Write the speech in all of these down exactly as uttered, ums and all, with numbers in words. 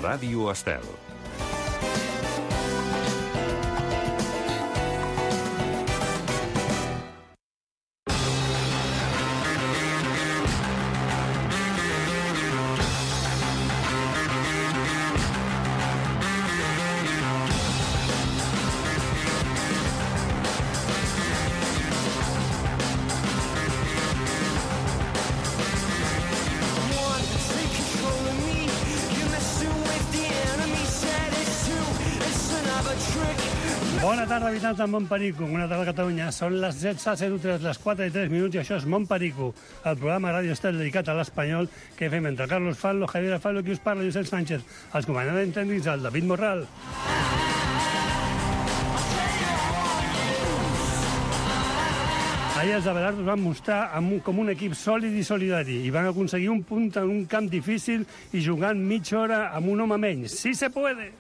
Ràdio Estel. Bona tarda, habitants de Montperico, una tarda a Catalunya. Són les setze zero tres, les quatre i tres minuts, i això és Montperico, el programa Ràdio Estel dedicat a l'espanyol que fem entre Carlos Fallo, Javier Fallo, qui us parla, Josep Sánchez, els comandants tècnics, el David Morral. Ahir els Abelardo es van mostrar com un equip sòlid i solidari i van aconseguir un punt en un camp difícil i jugant mitja hora amb un home menys. Sí se puede!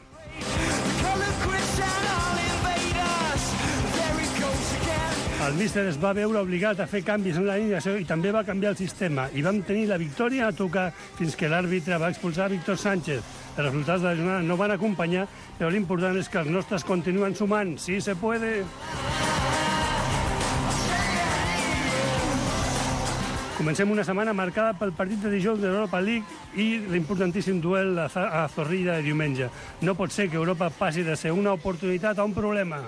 El míster es va veure obligat a fer canvis en la alineació i també va canviar el sistema. I vam tenir la victòria a tocar fins que l'àrbitre va expulsar Víctor Sánchez. Els resultats de la jornada no van acompanyar, però l'important és que els nostres continuen sumant. Sí se puede! Comencem una setmana marcada pel partit de dijous de l'Europa League i l'importantíssim duel a Zorrilla de diumenge. No pot ser que Europa passi de ser una oportunitat a un problema.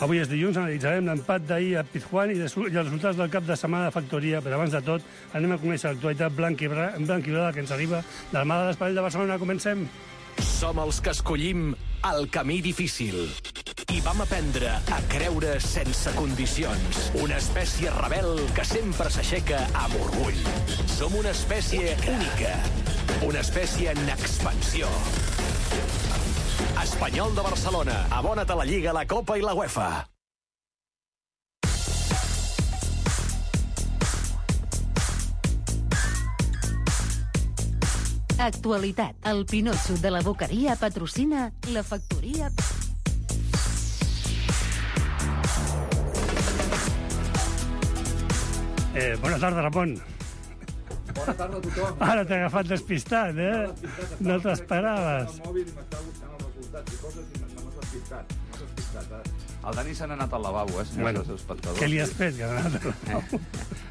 Avui és dilluns, analitzarem l'empat d'ahir a Pizjuán i els resultats del cap de setmana de Factoria, però abans de tot anem a conèixer l'actualitat blanquibrada que ens arriba de la mà de l'Espanyol de Barcelona. Comencem. Som els que escollim el camí difícil i vam aprendre a creure sense condicions. Una espècie rebel que sempre s'aixeca amb orgull. Som una espècie única, una espècie en expansió. Espanyol de Barcelona, abona't a la Lliga, la Copa i la UEFA. Actualitat. El Pinotxo de la Boqueria patrocina la Factoria... Eh, bona tarda, Ramon. Bona tarda a tothom. Ara t'he agafat despistat, eh? No t'esperaves. El mòbil i m'estava buscant els resultats i coses i no m'has despistat. No m'has despistat, eh? El Dani se n'ha anat al lavabo, eh, senyors Bueno, dels espectadors. què li has fet, que ha anat al lavabo?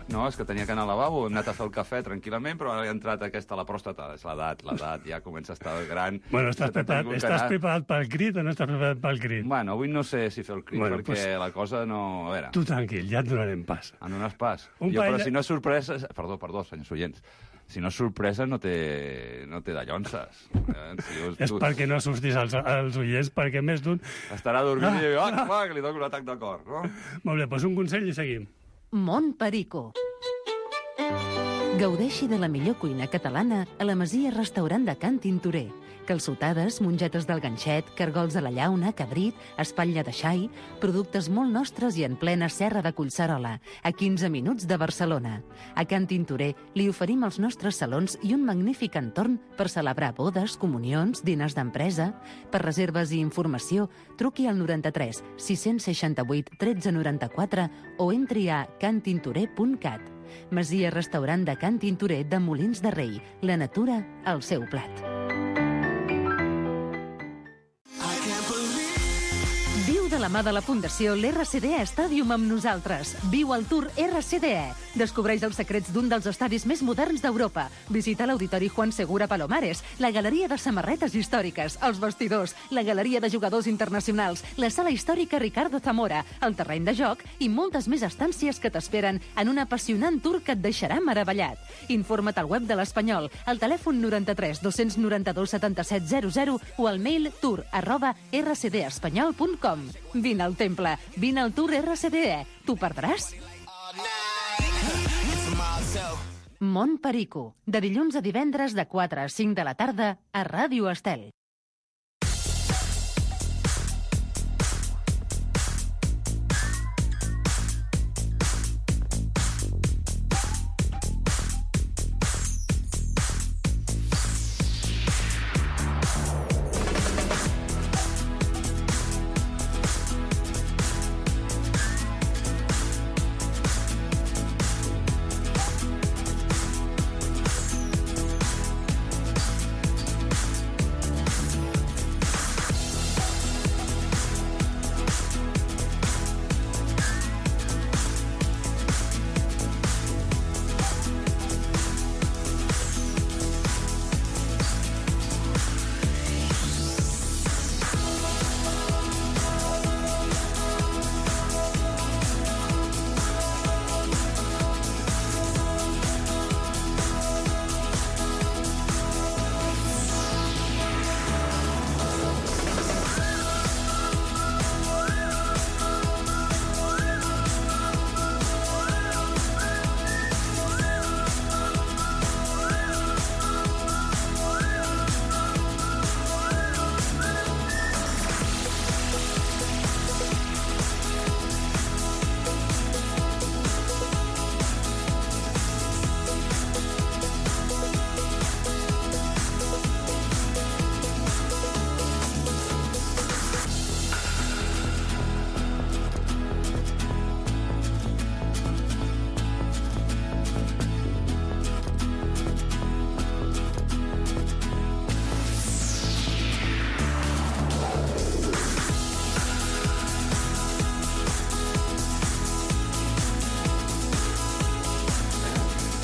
No, és que tenia que anar al lavabo, hem anat a fer el cafè tranquil·lament, però ara he entrat aquesta a la pròstata. És l'edat, l'edat, ja comença a estar gran. Bueno, estàs preparat, estàs preparat pel crit o no estàs preparat pel crit? Bueno, avui no sé si fer el crit, Bueno, perquè pues- la cosa no... A veure, Tu tranquil, ja et donarem pas. en un pas. Un Jo, parell però de- si no és sorpresa... Perdó, perdó, senyors oients. Si no és sorpresa, no té, no té dallonses. Eh? Si us- És tu- perquè no assustis als, als oients, perquè més d'un... Estarà dormint Ah, i diu, ah. ah, va, que li dono un atac de cor, no? Molt bé, doncs un consell i seguim. Montperico. Gaudeixi de la millor cuina catalana a la Masia Restaurant de Can Tintorer. Calçotades, mongetes del ganxet, cargols a la llauna, cabrit, espatlla de xai, productes molt nostres i en plena serra de Collserola, a quinze minuts de Barcelona. A Can Tintorer li oferim els nostres salons i un magnífic entorn per celebrar bodes, comunions, dinars d'empresa. Per reserves i informació, truqui al noranta-tres sis-cents seixanta-vuit tretze noranta-quatre o entri a cantintorer punt cat. Masia Restaurant de Can Tintorer de Molins de Rei. La natura al seu plat. Viu de la mà de la Fundació l'R C D E Stadium amb nosaltres. Viu el Tour R C D E. Descobreix els secrets d'un dels estadis més moderns d'Europa. Visita l'Auditori Juan Segura Palomares, la Galeria de Samarretes Històriques, els vestidors, la Galeria de Jugadors Internacionals, la Sala Històrica Ricardo Zamora, el terreny de joc i moltes més estàncies que t'esperen en un apassionant tour que et deixarà meravellat. Informa't al web de l'Espanyol, al telèfon noranta-tres dos noranta-dos setanta-set zero zero o al mail tour arroba r c d espanyol punt com. Vine al temple, vine al Tour R C D E. T'ho perdràs? Montperico, de dilluns a divendres de quatre a cinc de la tarda a Ràdio Estel.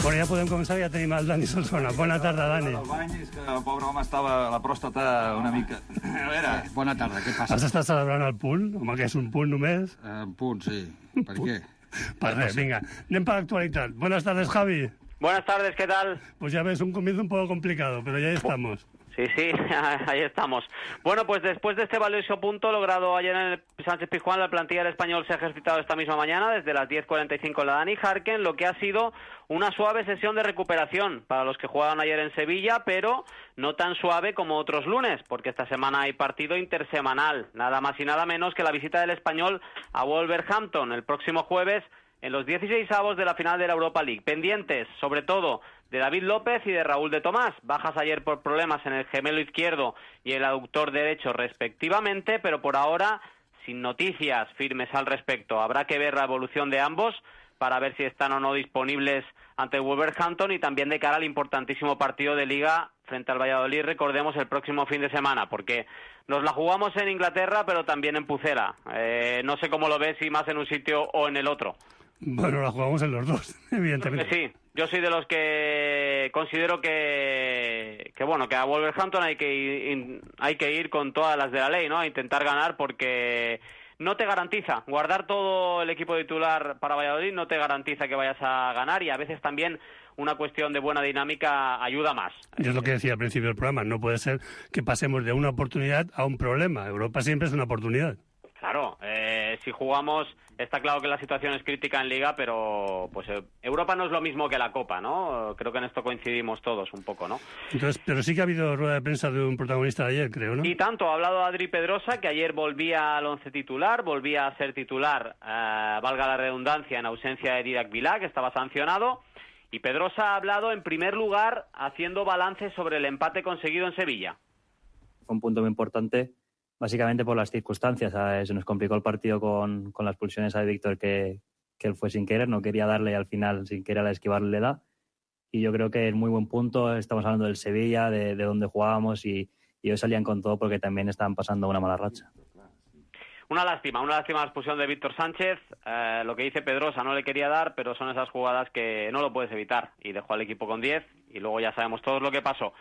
Bueno, ja podem començar, ja tenim el Dani Solsona. Bona tarda, Dani. El bany és que el pobre home estava la pròstata una mica... A veure... Eh, bona tarda, què passa? Has estat celebrant el punt? Home, que és un punt només. Eh, un punt, sí. Per què? Per res, vinga. Anem per l'actualitat. Buenas tardes, Javi. Buenas tardes, ¿qué tal? Pues ya ves, un comienzo un poco complicado, pero ya estamos. Sí, sí, ahí estamos. Bueno, pues después de este valioso punto logrado ayer en el Sánchez Pizjuán, la plantilla del Español se ha ejercitado esta misma mañana desde las diez cuarenta y cinco en la Dani Jarken, lo que ha sido una suave sesión de recuperación para los que jugaban ayer en Sevilla, pero no tan suave como otros lunes, porque esta semana hay partido intersemanal, nada más y nada menos que la visita del Español a Wolverhampton el próximo jueves en los dieciseisavos de la final de la Europa League. Pendientes, sobre todo, de David López y de Raúl de Tomás. Bajas ayer por problemas en el gemelo izquierdo y el aductor derecho respectivamente, pero por ahora sin noticias firmes al respecto. Habrá que ver la evolución de ambos para ver si están o no disponibles ante el Wolverhampton y también de cara al importantísimo partido de Liga frente al Valladolid, recordemos, el próximo fin de semana, porque nos la jugamos en Inglaterra, pero también en Pucela. Eh, no sé cómo lo ves, si más en un sitio o en el otro. Bueno, la jugamos en los dos, evidentemente. Sí, yo soy de los que considero que, que bueno, que a Wolverhampton hay que ir, hay que ir con todas las de la ley, ¿no? A intentar ganar, porque no te garantiza. Guardar todo el equipo titular para Valladolid no te garantiza que vayas a ganar, y a veces también una cuestión de buena dinámica ayuda más. Y es lo que decía al principio del programa, no puede ser que pasemos de una oportunidad a un problema. Europa siempre es una oportunidad. Claro, eh, si jugamos, está claro que la situación es crítica en Liga, pero pues eh, Europa no es lo mismo que la Copa, ¿no? Creo que en esto coincidimos todos un poco, ¿no? Entonces, pero sí que ha habido rueda de prensa de un protagonista de ayer, creo, ¿no? Y tanto, ha hablado Adri Pedrosa, que ayer volvía al once titular, volvía a ser titular, eh, valga la redundancia, en ausencia de Didac Vilá, que estaba sancionado, y Pedrosa ha hablado en primer lugar haciendo balance sobre el empate conseguido en Sevilla. Fue un punto muy importante, básicamente por las circunstancias. ¿Sabes? Se nos complicó el partido con, con las expulsiones de Víctor, que, que él fue sin querer, no quería darle y al final sin querer a esquivarle le da. Y yo creo que es muy buen punto. Estamos hablando del Sevilla, de, de dónde jugábamos, y, y ellos salían con todo porque también estaban pasando una mala racha. Una lástima, una lástima la expulsión de Víctor Sánchez. Eh, lo que dice Pedrosa, no le quería dar, pero son esas jugadas que no lo puedes evitar. Y dejó al equipo con diez y luego ya sabemos todos lo que pasó.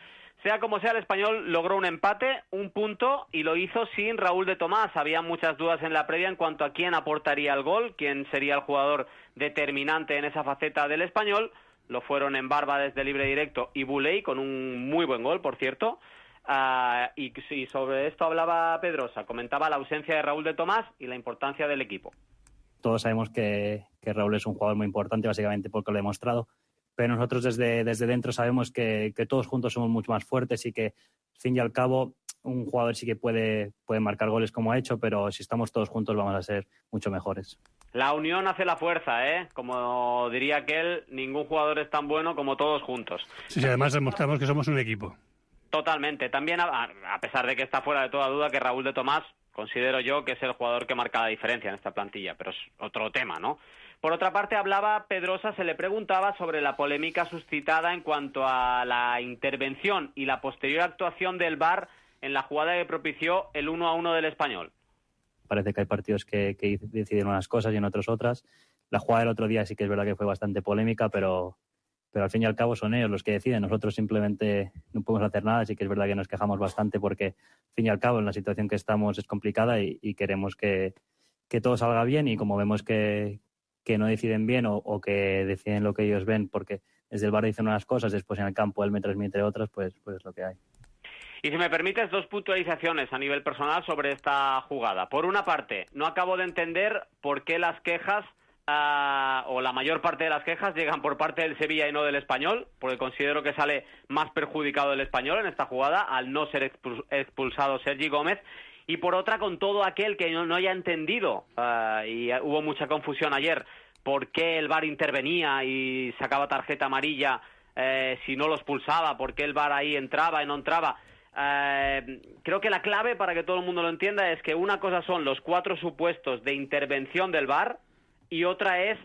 Sea como sea, el Español logró un empate, un punto, y lo hizo sin Raúl de Tomás. Había muchas dudas en la previa en cuanto a quién aportaría el gol, quién sería el jugador determinante en esa faceta del Español. Lo fueron en Barba desde libre directo y Buley, con un muy buen gol, por cierto. Uh, y, y sobre esto hablaba Pedrosa, comentaba la ausencia de Raúl de Tomás y la importancia del equipo. Todos sabemos que, que Raúl es un jugador muy importante, básicamente porque lo ha demostrado, pero nosotros desde, desde dentro sabemos que, que todos juntos somos mucho más fuertes y que, al fin y al cabo, un jugador sí que puede, puede marcar goles como ha hecho, pero si estamos todos juntos vamos a ser mucho mejores. La unión hace la fuerza, ¿eh? Como diría aquel, ningún jugador es tan bueno como todos juntos. Sí, sí, además demostramos que somos un equipo. Totalmente. También, a, a pesar de que está fuera de toda duda que Raúl de Tomás, considero yo que es el jugador que marca la diferencia en esta plantilla, pero es otro tema, ¿no? Por otra parte, hablaba Pedrosa, se le preguntaba sobre la polémica suscitada en cuanto a la intervención y la posterior actuación del V A R en la jugada que propició el uno a uno del Español. Parece que hay partidos que, que deciden unas cosas y en otros otras. La jugada del otro día sí que es verdad que fue bastante polémica, pero... pero al fin y al cabo son ellos los que deciden. Nosotros simplemente no podemos hacer nada. Sí que es verdad que nos quejamos bastante porque, al fin y al cabo, en la situación que estamos es complicada y, y queremos que, que todo salga bien, y como vemos que, que no deciden bien o, o que deciden lo que ellos ven porque desde el V A R dicen unas cosas, después en el campo él me transmite otras, pues, pues es lo que hay. Y si me permites, dos puntualizaciones a nivel personal sobre esta jugada. Por una parte, no acabo de entender por qué las quejas Uh, o la mayor parte de las quejas llegan por parte del Sevilla y no del Español, porque considero que sale más perjudicado el Español en esta jugada al no ser expulsado Sergi Gómez. Y por otra, con todo aquel que no, no haya entendido, uh, y hubo mucha confusión ayer, por qué el V A R intervenía y sacaba tarjeta amarilla eh, si no lo expulsaba, por qué el V A R ahí entraba y no entraba. Uh, creo que la clave, para que todo el mundo lo entienda, es que una cosa son los cuatro supuestos de intervención del V A R y otra es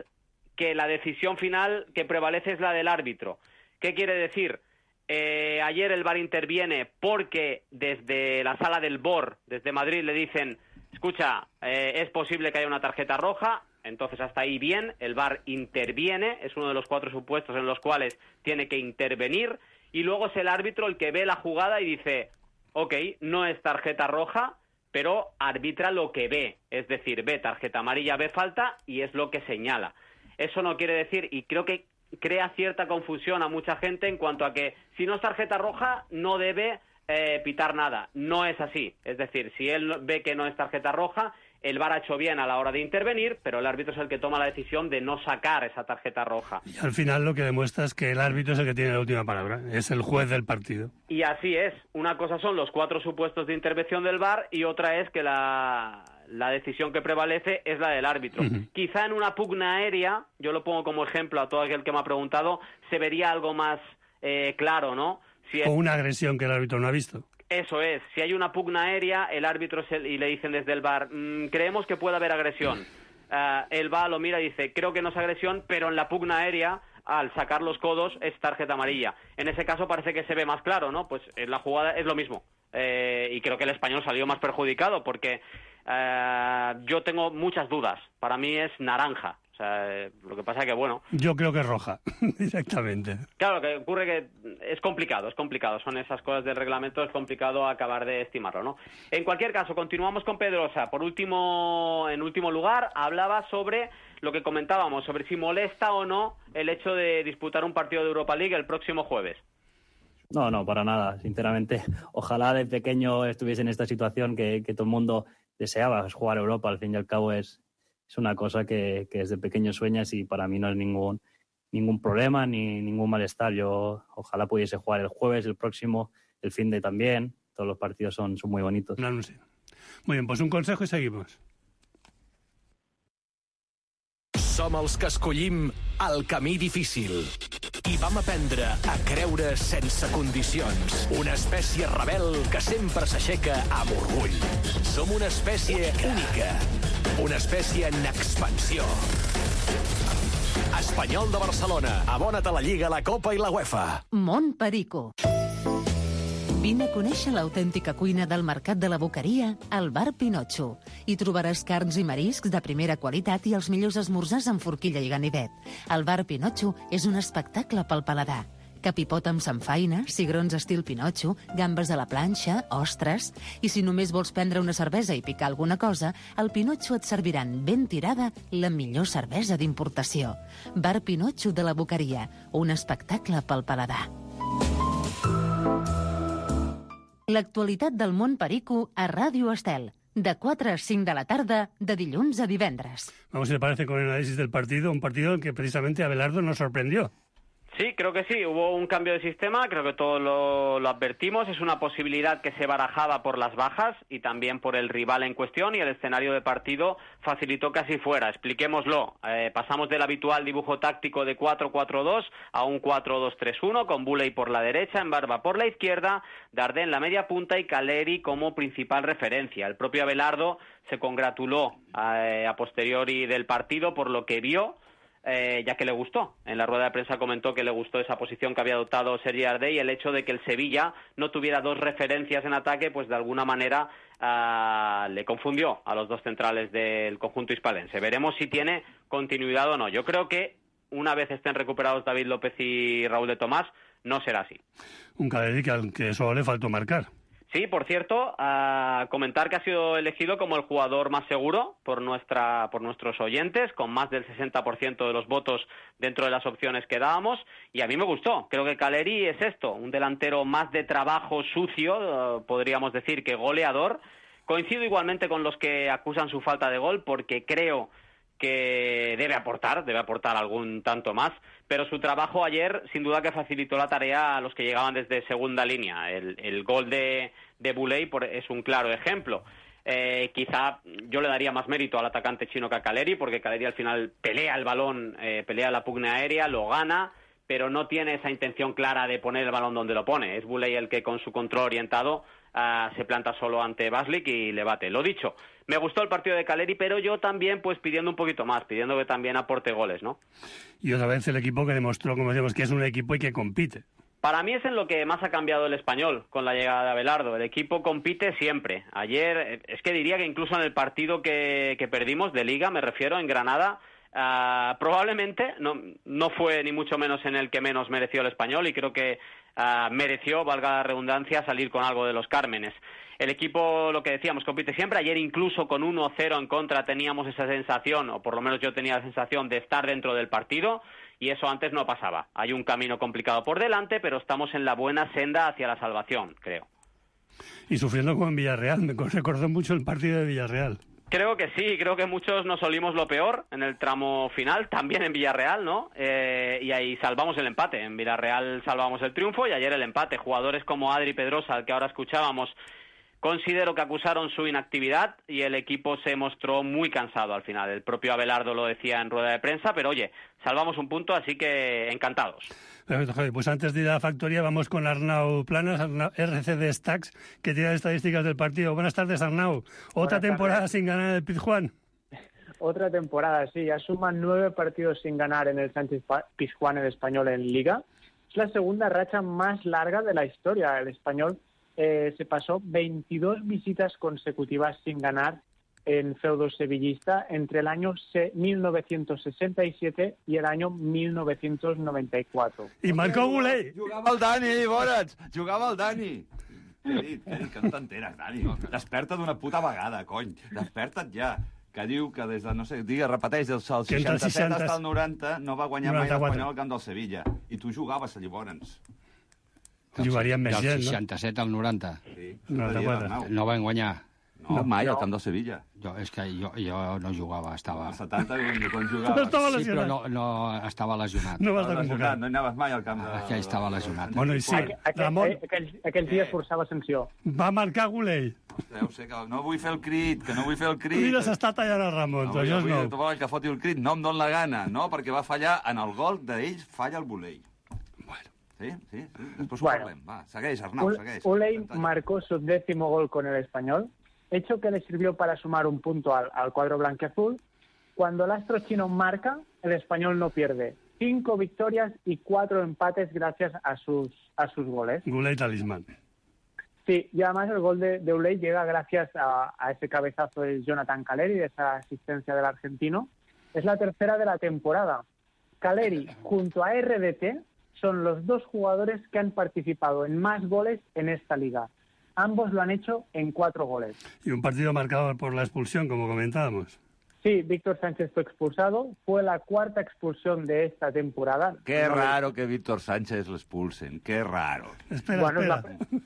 que la decisión final que prevalece es la del árbitro. ¿Qué quiere decir? Eh, ayer el V A R interviene porque desde la sala del B O R, desde Madrid, le dicen, escucha, eh, es posible que haya una tarjeta roja. Entonces, hasta ahí bien, el V A R interviene, es uno de los cuatro supuestos en los cuales tiene que intervenir, y luego es el árbitro el que ve la jugada y dice, ok, no es tarjeta roja, pero arbitra lo que ve, es decir, ve tarjeta amarilla, ve falta, y es lo que señala. Eso no quiere decir, y creo que crea cierta confusión a mucha gente en cuanto a que si no es tarjeta roja, no debe eh, pitar nada. No es así, es decir, si él ve que no es tarjeta roja, el V A R ha hecho bien a la hora de intervenir, pero el árbitro es el que toma la decisión de no sacar esa tarjeta roja. Y al final lo que demuestra es que el árbitro es el que tiene la última palabra, es el juez del partido. Y así es. Una cosa son los cuatro supuestos de intervención del V A R y otra es que la, la decisión que prevalece es la del árbitro. Uh-huh. Quizá en una pugna aérea, yo lo pongo como ejemplo a todo aquel que me ha preguntado, se vería algo más eh, claro, ¿no? Si es... O una agresión que el árbitro no ha visto. Eso es, si hay una pugna aérea, el árbitro se, y le dicen desde el V A R, mmm, creemos que puede haber agresión. Uh, el V A R lo mira y dice, creo que no es agresión, pero en la pugna aérea, al sacar los codos, es tarjeta amarilla. En ese caso parece que se ve más claro, ¿no? Pues en la jugada es lo mismo. Eh, y creo que el español salió más perjudicado porque uh, yo tengo muchas dudas. Para mí es naranja. O sea, lo que pasa es que, bueno... Yo creo que es roja, directamente. Claro, lo que ocurre que es complicado, es complicado. Son esas cosas del reglamento, es complicado acabar de estimarlo, ¿no? En cualquier caso, continuamos con Pedrosa. Por último, en último lugar, hablaba sobre lo que comentábamos, sobre si molesta o no el hecho de disputar un partido de Europa League el próximo jueves. No, no, para nada. Sinceramente, ojalá de pequeño estuviese en esta situación que, que todo el mundo deseaba, jugar a Europa. Al fin y al cabo es... Es una cosa que, que desde pequeño sueñas y para mí no es ningún ningún problema ni ningún malestar. Yo ojalá pudiese jugar el jueves, el próximo, el fin de también. Todos los partidos son, son muy bonitos. No, no sé. Muy bien, pues un consejo y seguimos. Som els que escollim el camí difícil. I vam aprendre a creure sense condicions. Una espècie rebel que sempre s'aixeca amb orgull. Som una espècie única. Una espècie en expansió. Espanyol de Barcelona. Abona't a la Lliga, la Copa i la UEFA. Mont Perico. Vine a conèixer l'autèntica cuina del Mercat de la Boqueria al Bar Pinotxo. Hi trobaràs carns i mariscs de primera qualitat i els millors esmorzars amb forquilla i ganivet. El Bar Pinotxo és un espectacle pel paladar. Capipot amb samfaina, cigrons estil Pinotxo, gambes a la planxa, ostres... I si només vols prendre una cervesa i picar alguna cosa, al Pinotxo et serviran ben tirada la millor cervesa d'importació. Bar Pinotxo de la Boqueria, un espectacle pel paladar. L'actualitat del món perico a Ràdio Estel, de quatre a cinc de la tarda, de dilluns a divendres. Vamos, si le parece, con el análisis del partido, un partido en que precisamente Abelardo nos sorprendió. Sí, creo que sí. Hubo un cambio de sistema, creo que todos lo, lo advertimos. Es una posibilidad que se barajaba por las bajas y también por el rival en cuestión, y el escenario de partido facilitó que así fuera. Expliquémoslo. Eh, pasamos del habitual dibujo táctico de cuatro cuatro dos a un cuatro dos tres uno, con Buley por la derecha, Embarba por la izquierda, Dardé en la media punta y Caleri como principal referencia. El propio Abelardo se congratuló eh, a posteriori del partido por lo que vio, Eh, ya que le gustó. En la rueda de prensa comentó que le gustó esa posición que había adoptado Sergi Dardé, y el hecho de que el Sevilla no tuviera dos referencias en ataque, pues de alguna manera uh, le confundió a los dos centrales del conjunto hispalense. Veremos si tiene continuidad o no. Yo creo que una vez estén recuperados David López y Raúl de Tomás, no será así. Un Caleri que al que solo le faltó marcar. Sí, por cierto, uh, comentar que ha sido elegido como el jugador más seguro por nuestra por nuestros oyentes, con más del sesenta por ciento de los votos dentro de las opciones que dábamos, y a mí me gustó. Creo que Caleri es esto, un delantero más de trabajo sucio, uh, podríamos decir, que goleador. Coincido igualmente con los que acusan su falta de gol, porque creo que debe aportar, debe aportar algún tanto más, pero su trabajo ayer sin duda que facilitó la tarea a los que llegaban desde segunda línea. El, el gol de, de Buley por, es un claro ejemplo. Eh, quizá yo le daría más mérito al atacante chino que a Caleri, porque Caleri al final pelea el balón, eh, pelea la pugna aérea, lo gana, pero no tiene esa intención clara de poner el balón donde lo pone. Es Buley el que con su control orientado uh, se planta solo ante Baslik y le bate. Lo dicho, me gustó el partido de Caleri, pero yo también pues pidiendo un poquito más, pidiendo que también aporte goles, ¿no? Y otra vez el equipo que demostró, como decíamos, que es un equipo y que compite. Para mí es en lo que más ha cambiado el Español con la llegada de Abelardo. El equipo compite siempre. Ayer, es que diría que incluso en el partido que, que perdimos de Liga, me refiero, en Granada, uh, probablemente no, no fue ni mucho menos en el que menos mereció el Español y creo que uh, mereció, valga la redundancia, salir con algo de los Cármenes. El equipo, lo que decíamos, compite siempre. Ayer incluso con uno cero en contra teníamos esa sensación, o por lo menos yo tenía la sensación de estar dentro del partido. Y eso antes no pasaba. Hay un camino complicado por delante, pero estamos en la buena senda hacia la salvación, creo. Y sufriendo como en Villarreal, me recordó mucho el partido de Villarreal. Creo que sí, creo que muchos nos olimos lo peor en el tramo final, también en Villarreal, ¿no? Eh, y ahí salvamos el empate. En Villarreal salvamos el triunfo y ayer el empate. Jugadores como Adri Pedrosa, al que ahora escuchábamos, considero que acusaron su inactividad y el equipo se mostró muy cansado al final. El propio Abelardo lo decía en rueda de prensa, pero oye, salvamos un punto, así que encantados. Perfecto, Javi. Pues antes de ir a la factoría vamos con Arnau Planas, Arnau, R C D Stacks, que tiene las estadísticas del partido. Buenas tardes, Arnau. Otra temporada tardes. Sin ganar en el Pizjuán. Otra temporada, sí. Ya suman nueve partidos sin ganar en el Sánchez Pizjuán, el Español, en Liga. Es la segunda racha más larga de la historia. El Español Eh, se pasó veintidós visitas consecutivas sin ganar en feudo sevillista entre el año mil novecientos sesenta y siete y el año mil novecientos noventa y cuatro. I marcó Guley. Jugava el Dani, Borats, jugava el Dani. Què he dit? Què he dit? Que no t'enteres, Dani. Desperta d'una puta vegada, cony. Desperta't ja. Que diu que des de, no sé, digue, repeteix, del seixanta-set hasta el noranta no va guanyar mai l'Espanyol al camp del Sevilla. I tu jugaves allà, llavors. Jugarien més gent, no? Del seixanta-set al noranta. Sí, noranta-quatre. No van guanyar. No, mai al camp del Sevilla. Jo, és que jo, jo no jugava, estava... Al setanta, quan jugava... No estava Sí, lesionat. però no, no estava lesionat. No va estar lesionat, convocat. no hi anaves mai al camp de... Aquell estava lesionat. Bueno, i sí, Aquell, Ramon aquells, aquells dies forçava sanció. va marcar Guley. Deu ser que no vull fer el crit, que no vull fer el crit. Mira, s'està tallant el Ramon, No, això és vull, nou. vull, que foti el crit, no em don la gana, no? Perquè va fallar en el gol d'ells, falla el Buley. Bueno. Sí, sí, sí. Después Bueno. parlem. Va, segueix, Arnau, segueix. Uley marcó su décimo gol con el Español, hecho que le sirvió para sumar un punto al, al cuadro blanquiazul. Cuando el astro chino marca, el Español no pierde. Cinco victorias y cuatro empates gracias a sus, a sus goles. Guley talismán. Sí, y además el gol de, de Uley llega gracias a, a ese cabezazo de Jonathan Caleri, de esa asistencia del argentino. Es la tercera de la temporada. Caleri, junto a R D T, son los dos jugadores que han participado en más goles en esta liga. Ambos lo han hecho en cuatro goles. Y un partido marcado por la expulsión, como comentábamos. Sí, Víctor Sánchez fue expulsado. Fue la cuarta expulsión de esta temporada. Qué No, raro que Víctor Sánchez lo expulsen, qué raro. Espera, Bueno, espera. la-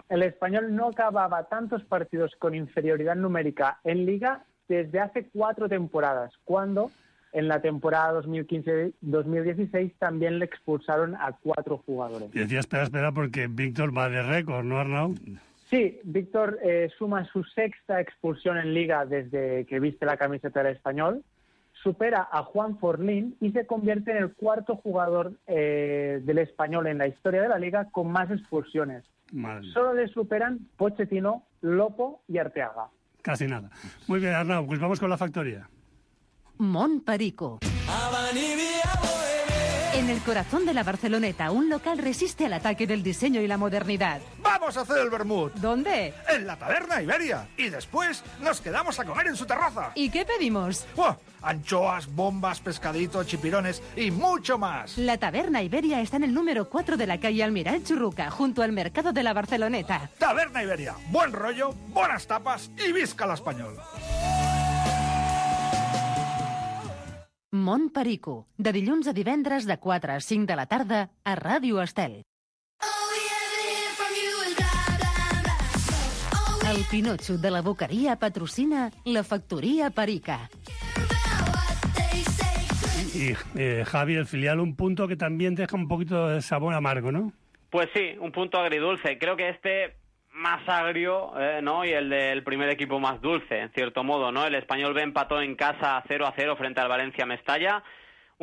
el Español no acababa tantos partidos con inferioridad numérica en Liga desde hace cuatro temporadas, cuando en la temporada dos mil quince dos mil dieciséis también le expulsaron a cuatro jugadores. Y decía, espera, espera, porque Víctor va de récord, ¿no, Arnau? Sí, Víctor eh, suma su sexta expulsión en Liga desde que viste la camiseta del Español, supera a Juan Forlín y se convierte en el cuarto jugador eh, del Español en la historia de la Liga con más expulsiones. Madre. Solo le superan Pochettino, Lopo y Arteaga. Casi nada. Muy bien, Arnau, pues vamos con la factoría. Mont Perico. En el corazón de la Barceloneta, un local resiste al ataque del diseño y la modernidad. ¡Vamos a hacer el vermut! ¿Dónde? En la taberna Iberia. Y después nos quedamos a comer en su terraza. ¿Y qué pedimos? ¡Buah! Anchoas, bombas, pescaditos, chipirones y mucho más. La Taberna Iberia está en el número cuatro de la calle Almiral Churruca, junto al mercado de la Barceloneta. Taberna Iberia. Buen rollo, buenas tapas y visca la español. Mont Perico, de dilluns a divendres de quatre a cinc de la tarda a Ràdio Estel. El Pinotxo de la Boqueria patrocina la Factoria Perica. Y eh, Javi, el filial, un punto que también deja un poquito de sabor amargo, ¿no? Pues sí, un punto agridulce. Creo que este más agrio, eh, ¿no? Y el del primer equipo más dulce, en cierto modo, ¿no? El Español B empató en casa cero a cero frente al Valencia Mestalla.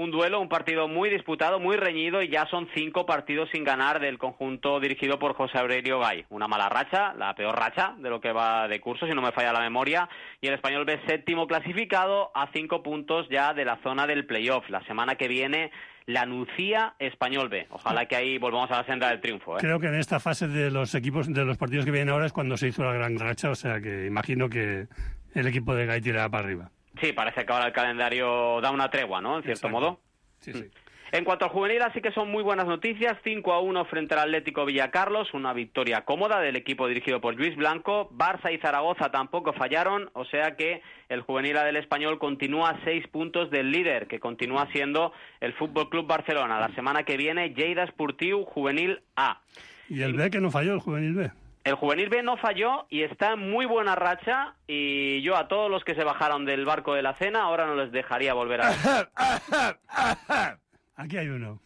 un duelo, un partido muy disputado, muy reñido, y ya son cinco partidos sin ganar del conjunto dirigido por José Aurelio Gay. Una mala racha, la peor racha de lo que va de curso, si no me falla la memoria, y el Español B séptimo clasificado a cinco puntos ya de la zona del playoff. La semana que viene, la Nucía Español B. Ojalá que ahí volvamos a la senda del triunfo, ¿eh? Creo que en esta fase de los equipos, de los partidos que vienen ahora es cuando se hizo la gran racha, o sea que imagino que el equipo de Gay tirará para arriba. Sí, parece que ahora el calendario da una tregua, ¿no? En cierto Exacto. modo. Sí, sí. En cuanto al juvenil, así que son muy buenas noticias. cinco a uno frente al Atlético Villacarlos, una victoria cómoda del equipo dirigido por Luis Blanco. Barça y Zaragoza tampoco fallaron, o sea que el juvenil del Español continúa a seis puntos del líder, que continúa siendo el Fútbol Club Barcelona. La semana que viene, Lleida Esportiu Juvenil A. ¿Y el B que no falló, el juvenil B? El juvenil B no falló y está en muy buena racha, y yo a todos los que se bajaron del barco de la cena ahora no les dejaría volver a... Aquí hay uno.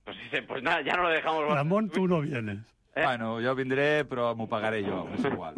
Pues, pues nada, ya no lo dejamos... Ramon, tú no vienes. Eh? Bueno, jo vindré, però m'ho pagaré jo, és igual.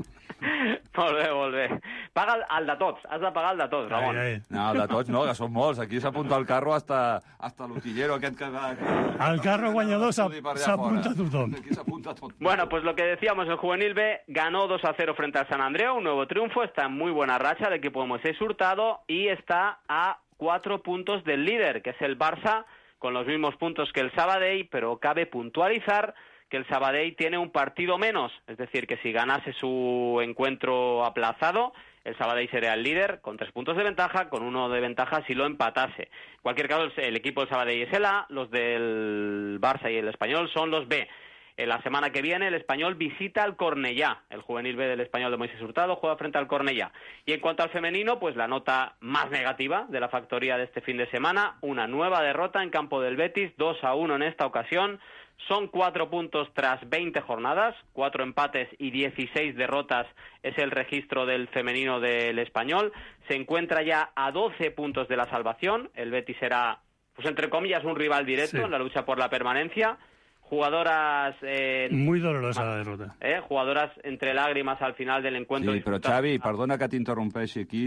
Molt bé, molt bé. Paga el, el de tots, has de pagar el de tots, Ramon. Ai, ai. No, el de tots no, que són molts. Aquí s'apunta al carro hasta, hasta l'utillero aquest que... que... Al carro guanyador s'apunta tothom. Aquí s'apunta tot. Bueno, pues lo que decíamos, el juvenil B ganó dos a cero frente al San Andreu, un nuevo triunfo, está en muy buena racha el equipo de Moisés Hurtado y está a cuatro puntos del líder, que es el Barça, con los mismos puntos que el Sabadell, pero cabe puntualizar que el Sabadell tiene un partido menos, es decir, que si ganase su encuentro aplazado, el Sabadell sería el líder con tres puntos de ventaja, con uno de ventaja si lo empatase. En cualquier caso, el equipo del Sabadell es el A, los del Barça y el Español son los B. En la semana que viene el Español visita al Cornellá. El juvenil B del Español de Moisés Hurtado juega frente al Cornellá. Y en cuanto al femenino, pues la nota más negativa de la factoría de este fin de semana, una nueva derrota en campo del Betis, dos a uno en esta ocasión. Son cuatro puntos tras veinte jornadas, cuatro empates y dieciséis derrotas es el registro del femenino del Español. Se encuentra ya a doce puntos de la salvación. El Betis será, pues entre comillas, un rival directo sí. en la lucha por la permanencia. Jugadoras... Eh, Muy dolorosa la derrota. Eh, jugadoras entre lágrimas al final del encuentro. Sí, però Xavi, perdona que t'interrompeixi aquí,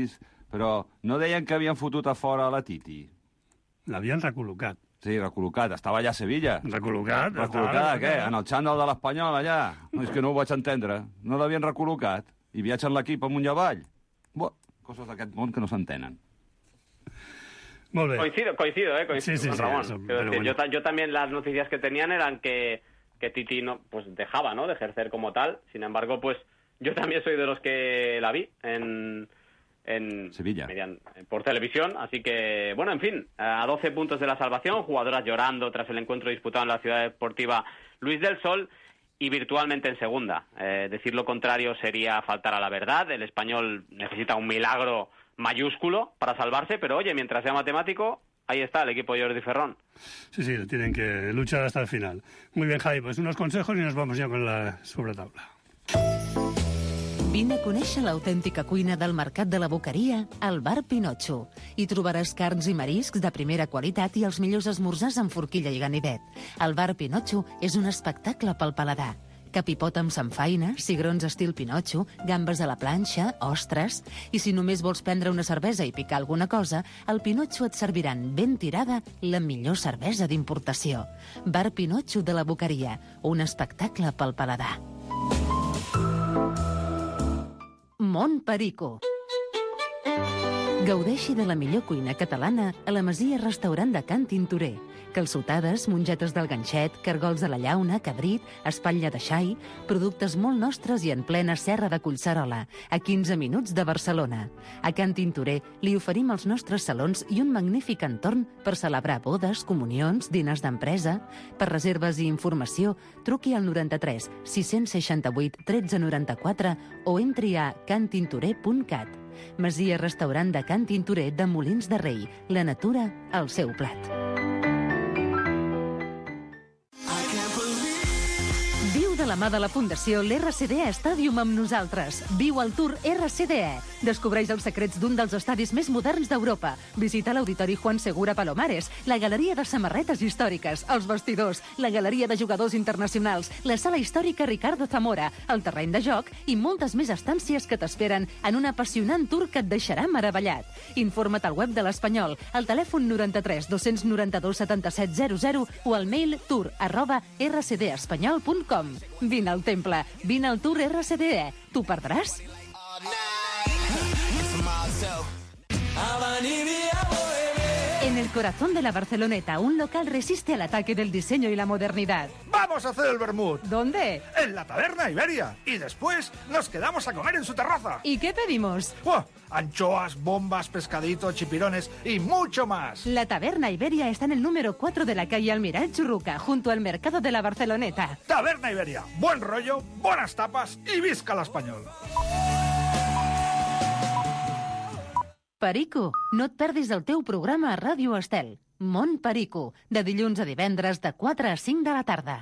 però no deien que havien fotut a fora la Titi? L'havien recol·locat. Sí, recol·locat. Estava allà a Sevilla. Recol·locat? Recol·locat, què? En el xandall de l'Espanyol, allà? No, és que no ho vaig entendre. No l'havien recol·locat. I viatgen l'equip amunt i avall. Bo, coses d'aquest món que no s'entenen. Molt bé. Coincido, coincido, eh, coincido sí, sí, con sí, Ramón. eso, Quiero decir, bueno. yo, yo también las noticias que tenían eran que, que Titi no, pues dejaba, ¿no?, de ejercer como tal. Sin embargo, pues yo también soy de los que la vi en... en Sevilla. Median, por televisión, así que, bueno, en fin, a doce puntos de la salvación, jugadoras llorando tras el encuentro disputado en la ciudad deportiva Luis del Sol y virtualmente en segunda. Eh, decir lo contrario sería faltar a la verdad. El Español necesita un milagro mayúsculo para salvarse, pero oye, mientras sea matemático, ahí está el equipo de Jordi Ferrón. Sí, sí, tienen que luchar hasta el final. Muy bien, Javi, pues unos consejos y nos vamos ya con la sobretaula. Vine a conèixer l'autèntica cuina del Mercat de la Boqueria al Bar Pinotxo. Hi trobaràs carns i mariscs de primera qualitat i els millors esmorzars amb forquilla i ganivet. El Bar Pinotxo és un espectacle pel paladar. Capipot amb samfaina, cigrons estil Pinotxo, gambes a la planxa, ostres... I si només vols prendre una cervesa i picar alguna cosa, al Pinotxo et serviran ben tirada la millor cervesa d'importació. Bar Pinotxo de la Boqueria, un espectacle pel paladar. Mont Perico. Gaudeixi de la millor cuina catalana a la Masia Restaurant de Can Tintorer. Calçotades, mongetes del ganxet, cargols de la llauna, cabrit, espatlla de xai, productes molt nostres i en plena serra de Collserola, a quinze minuts de Barcelona. A Can Tintorer li oferim els nostres salons i un magnífic entorn per celebrar bodes, comunions, diners d'empresa. Per reserves i informació, truqui al noranta-tres sis-cents seixanta-vuit tretze noranta-quatre o entri a can tintorer punt cat. Masia Restaurant de Can Tintorer de Molins de Rei. La natura al seu plat. Viu de la mà de la Fundació l'R C D E Stadium amb nosaltres. Viu el Tour R C D E. Descobreix els secrets d'un dels estadis més moderns d'Europa. Visita l'Auditori Juan Segura Palomares, la galeria de samarretes històriques, els vestidors, la galeria de jugadors internacionals, la sala històrica Ricardo Zamora, el terreny de joc i moltes més estàncies que t'esperen en un apassionant tour que et deixarà meravellat. Informa't al web de l'Espanyol, al telèfon noranta-tres dos noranta-dos setanta-set zero zero o al mail tour arroba r c d espanyol punt com. Vine al temple, vine al Tour R C D E. T'ho perdràs? En el corazón de la Barceloneta, un local resiste al ataque del diseño y la modernidad. ¡Vamos a hacer el vermut! ¿Dónde? En la Taberna Iberia. Y después nos quedamos a comer en su terraza. ¿Y qué pedimos? ¡Buah! Anchoas, bombas, pescadito, chipirones y mucho más. La Taberna Iberia está en el número cuatro de la calle Almiral Churruca, junto al mercado de la Barceloneta. Taberna Iberia. Buen rollo, buenas tapas y visca l'Espanyol. Perico, no et perdis el teu programa a Ràdio Estel. Mont Perico, de dilluns a divendres de quatre a cinc de la tarda.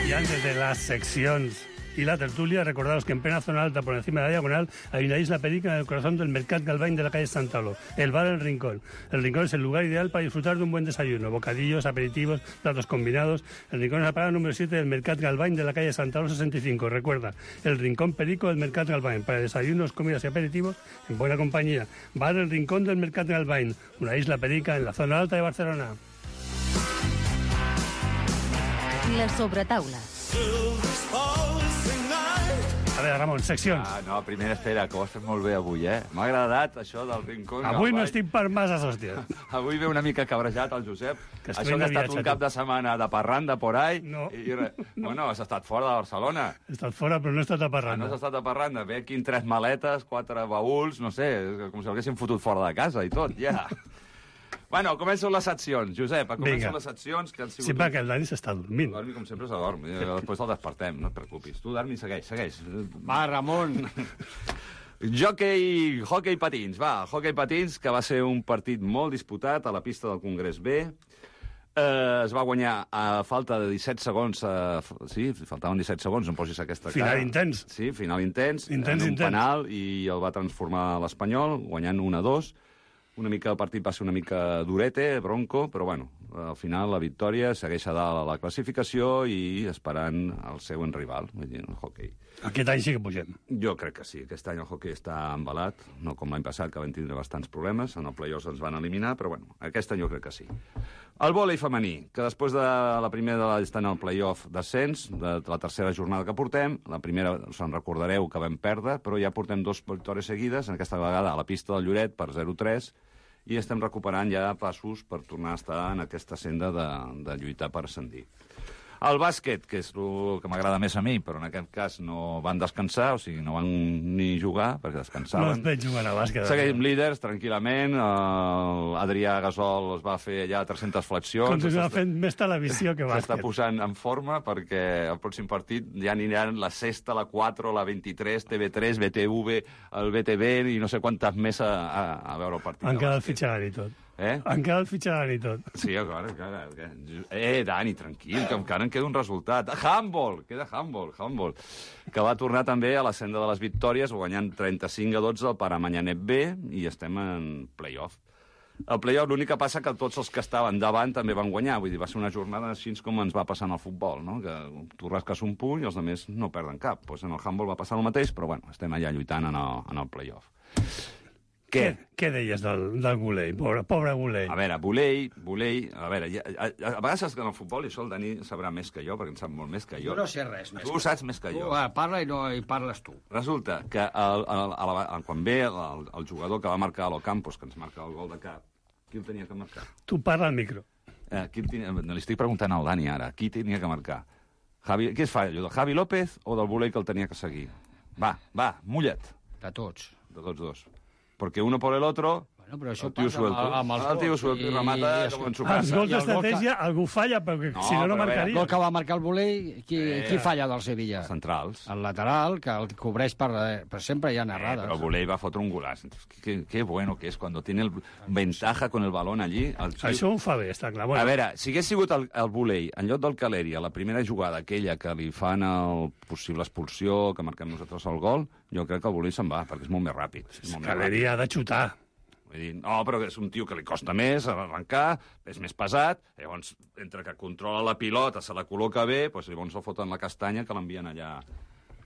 Y antes de las secciones y la tertulia, recordaros que en plena zona alta, por encima de la diagonal, hay una isla perica en el corazón del Mercat Galvain de la calle Santalo, el bar El Rincón. El Rincón es el lugar ideal para disfrutar de un buen desayuno, bocadillos, aperitivos, platos combinados. El Rincón es la parada número siete del Mercat Galvain de la calle Santalo sesenta y cinco. Recuerda, el Rincón Perico del Mercat Galvain, para desayunos, comidas y aperitivos en buena compañía. Bar El Rincón del Mercat Galvain, una isla perica en la zona alta de Barcelona. La sobretaula. A veure, Ramon, seccions. Ah, no, primer, espera, que ho has fet molt bé avui, eh? M'ha agradat això del Rincón. Avui no estic per masses, hòstia. Avui ve una mica cabrejat el Josep. Que això que ha estat un cap de setmana de parranda por ahí. No. I, re... no. Bueno, has estat fora de Barcelona. He estat fora, però no he estat a Ah, parranda. no has estat a parranda. Ve aquí en tres maletes, quatre baúls, no sé, com si l'haguessin fotut fora de casa i tot, ja. Bueno, comencen les seccions. Josep, comencen Vinga. les seccions que han sigut... Sí, perquè el Dani s'està dormint. Dormi, com sempre, s'adorm. Eh, Després el despertem, no et preocupis. Tu, Dani, segueix, segueix. Va, Ramon. Jockey, hockey patins, va, hockey patins, que va ser un partit molt disputat a la pista del Congrés B. Eh, es va guanyar a falta de disset segons, eh, sí, faltaven disset segons, no posis aquesta cara. Final intens. Sí, final intens, Intens, en un intens. penal, i el va transformar l'Espanyol, guanyant un a dos. Una mica el partit va ser una mica durete, bronco, però bueno, al final la victòria segueix a dalt a la classificació i esperant el següent rival, vull dir, el hockey. Aquest any sí que pugem. Jo crec que sí, aquest any el hockey està embalat, no com l'any passat, que van tindre bastants problemes, en el play-offs ens van eliminar, però bueno, aquest any jo crec que sí. El vòlei femení, que després de la primera està en el play-off d'ascens, de la tercera jornada que portem, la primera, se'n recordareu que vam perdre, però ja portem dos victòries seguides, en aquesta vegada a la pista del Lloret per zero tres, i estem recuperant ja passos per tornar a estar en aquesta senda de, de lluitar per ascendir. El bàsquet, que és el que m'agrada més a mi, però en aquest cas no van descansar, o sigui, no van ni jugar, perquè No descansaven. es veig jugant a bàsquet. Seguim líders, tranquil·lament. Uh, Adrià Gasol es va fer allà tres-centes flexions. Continua S'està- fent més televisió que S'està bàsquet. posant en forma perquè el pròxim partit ja aniran la sexta, la quatre, la vint-i-tres, T V tres, B T V, el B T V i no sé quantes més a, a, a veure el partit. Han de quedat bàsquet. fitxant i tot. Eh? Han quedat fitxant i tot. Sí, encara, encara. Eh, Dani, tranquil, que encara en queda un resultat. Handball, queda handball, handball. Que va tornar també a la senda de les victòries, guanyant trenta-cinc a dotze el Paramanyanet B, i estem en play-off. El play-off, l'únic que passa que tots els que estaven davant també van guanyar, vull dir, va ser una jornada així com ens va passar en el futbol, no? Que tu rasques un punt i els altres no perden cap. Pues en el handball va passar el mateix, però bueno, estem allà lluitant en el, en el play-off. Què? Què, què deies del, del Gulei? Pobre, pobre Gulei. A veure, Volei, Volei... A veure, ja, a, a, a vegades en el futbol, i això el Dani sabrà més que jo, perquè en sap molt més que jo. Jo no sé res més. Tu ho saps més que Tu jo. eh, parla i, no, i parles tu. Resulta que el, el, el, el, quan ve el, el jugador que va marcar a l'Ocampos, que ens marca el gol de cap, qui el tenia que marcar? Tu parla al micro. Eh, qui el tenia, li estic preguntant al Dani ara, qui tenia que marcar? Javi, què es fa, allò del Javi López o del Volei que el tenia que seguir? Va, va, mulla't. De tots. De tots dos. Porque uno por el otro... No, però això el tio passa amb, amb els el tio gols. suelto i remata I- com en su Els casa. gols I el gol d'estratègia algú falla, perquè No, si no, no però a veure, El marcaria. gol que va marcar el Volei, qui, Eh, qui falla del Sevilla? Centrals. El lateral, que el cobreix per... Per sempre hi ha Eh, errades. però Volei va fotre un golaç. Qué, qué bueno que és, cuando tiene el ventaja con el balón allí. El tio... Això ho fa bé, està clar. A veure, si hagués sigut el, el Volei en lloc del Caleri a la primera jugada, aquella que li fan el possible expulsió, que marquem nosaltres el gol, jo crec que el Volei se'n va, perquè és molt més ràpid. És molt més Caleri ha de xutar. Vull dir, no, però és un tio que li costa més arrencar, és més pesat, llavors, entre que controla la pilota, se la col·loca bé, doncs llavors el foten la castanya que l'envien allà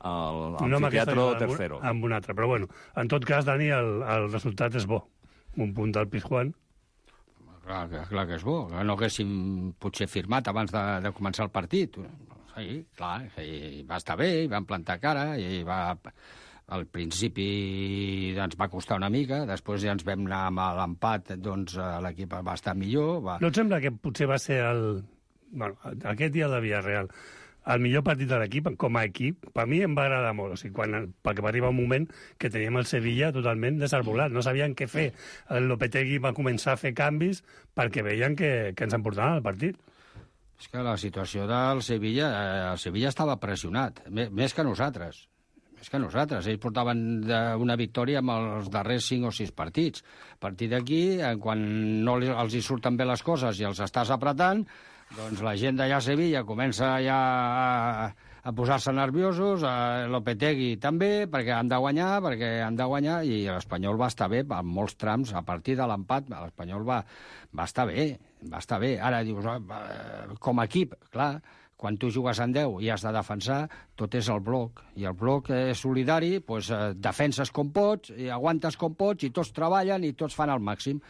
al No amb aquesta amfiteatro jugada, amb un- tercero. Amb un altre. Però bueno, en tot cas, Dani, el, el resultat és bo. Un punt del Pizjuán. Clar, que- clar que és bo. Que no haguéssim potser firmat abans de, de començar el partit. Sí, clar, i va estar bé, i van plantar cara, i va... Al principi ens va costar una mica, després ja ens vam anar amb l'empat, doncs eh, l'equip va estar millor. Va... No et sembla que potser va ser el... Bueno, aquest dia de Villarreal, el millor partit de l'equip, com a equip, per mi em va agradar molt. O sigui, quan, perquè va arribar un moment que teníem el Sevilla totalment desarbolat. No sabien què fer. El Lopetegui va començar a fer canvis perquè veien que, que ens emportaven el partit. És que la situació del Sevilla, eh, el Sevilla estava pressionat, més, més que nosaltres. Més que nosaltres. Ells portaven de, una victòria amb els darrers cinc o sis partits. A partir d'aquí, eh, quan no li, els hi surten bé les coses i els estàs apretant, doncs la gent d'allà a Sevilla comença ja a, a posar-se nerviosos, a Lopetegui també, perquè han de guanyar, perquè han de guanyar, i l'Espanyol va estar bé en molts trams. A partir de l'empat, l'Espanyol va, va estar bé, va estar bé. Ara dius, eh, com a equip, clar, quan tu jugues en deu i has de defensar, tot és el bloc. I el bloc és solidari, doncs, eh, defenses com pots, i aguantes com pots, i tots treballen i tots fan el màxim.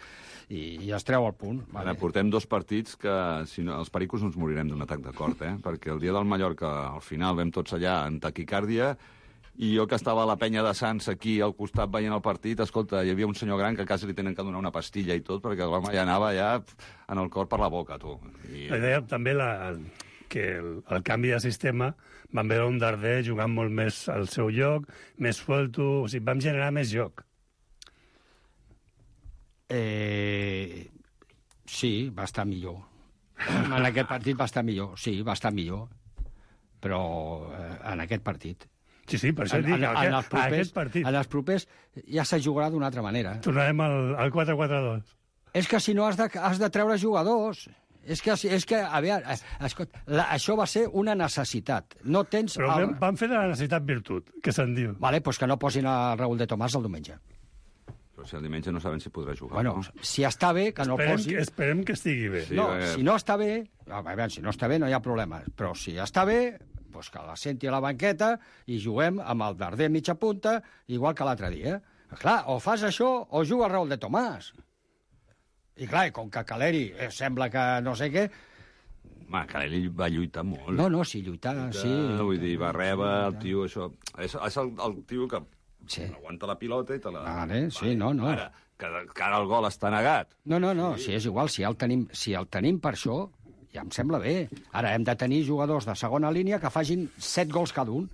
I, i es treu el punt. Vale. Ara, portem dos partits que, si no, els pericos no ens morirem d'un atac de cor, eh? Perquè el dia del Mallorca, al final, vam tots allà en taquicàrdia, i jo que estava a la penya de Sants aquí al costat veient el partit, escolta, hi havia un senyor gran que quasi li tenen que donar una pastilla i tot, perquè l'home ja anava ja en el cor per la boca, tu. I... La idea també la, que el, el canvi de sistema vam veure un Darder jugant molt més al seu lloc, més suelto, o sigui, vam generar més joc. Eh, sí, va estar millor. En aquest partit va estar millor, sí, va estar millor. Però eh, en aquest partit. Sí, sí, per això En, dic, en, en, aquest, els propers, aquest partit. en els propers ja se jugarà d'una altra manera. Tornarem al, al quatre quatre dos. És que si no has de, has de treure jugadors. És que, és que a veure, escolta, la, això va ser una necessitat. No tens... Però el... el... van fer de la necessitat virtut, que se'n diu. Vale, doncs que no posin el Raúl de Tomàs el diumenge. Però si el diumenge no saben si podrà jugar, Bueno, no? si està bé, que no Esperem, posi... que, esperem que estigui bé. Sí, no, perquè- si no està bé... A veure, si no està bé no hi ha problema. Però si està bé, doncs que la senti a la banqueta i juguem amb el Darder mitja punta, igual que l'altre dia. Clar, o fas això o juga el Raúl de Tomàs. I clar, com que Caleri eh, sembla que no sé què... Home, Caleri va lluitar molt. No, no, sí, lluitar, sí. Vull dir, va rebre el tio, això... És, és el, el tio que Sí. aguanta la pilota i te la... Vale, sí, no, no. Ara, que, que ara el gol està negat. No, no, no, sí. si és igual, si el, tenim, si el tenim per això, ja em sembla bé. Ara hem de tenir jugadors de segona línia que facin set gols cada un.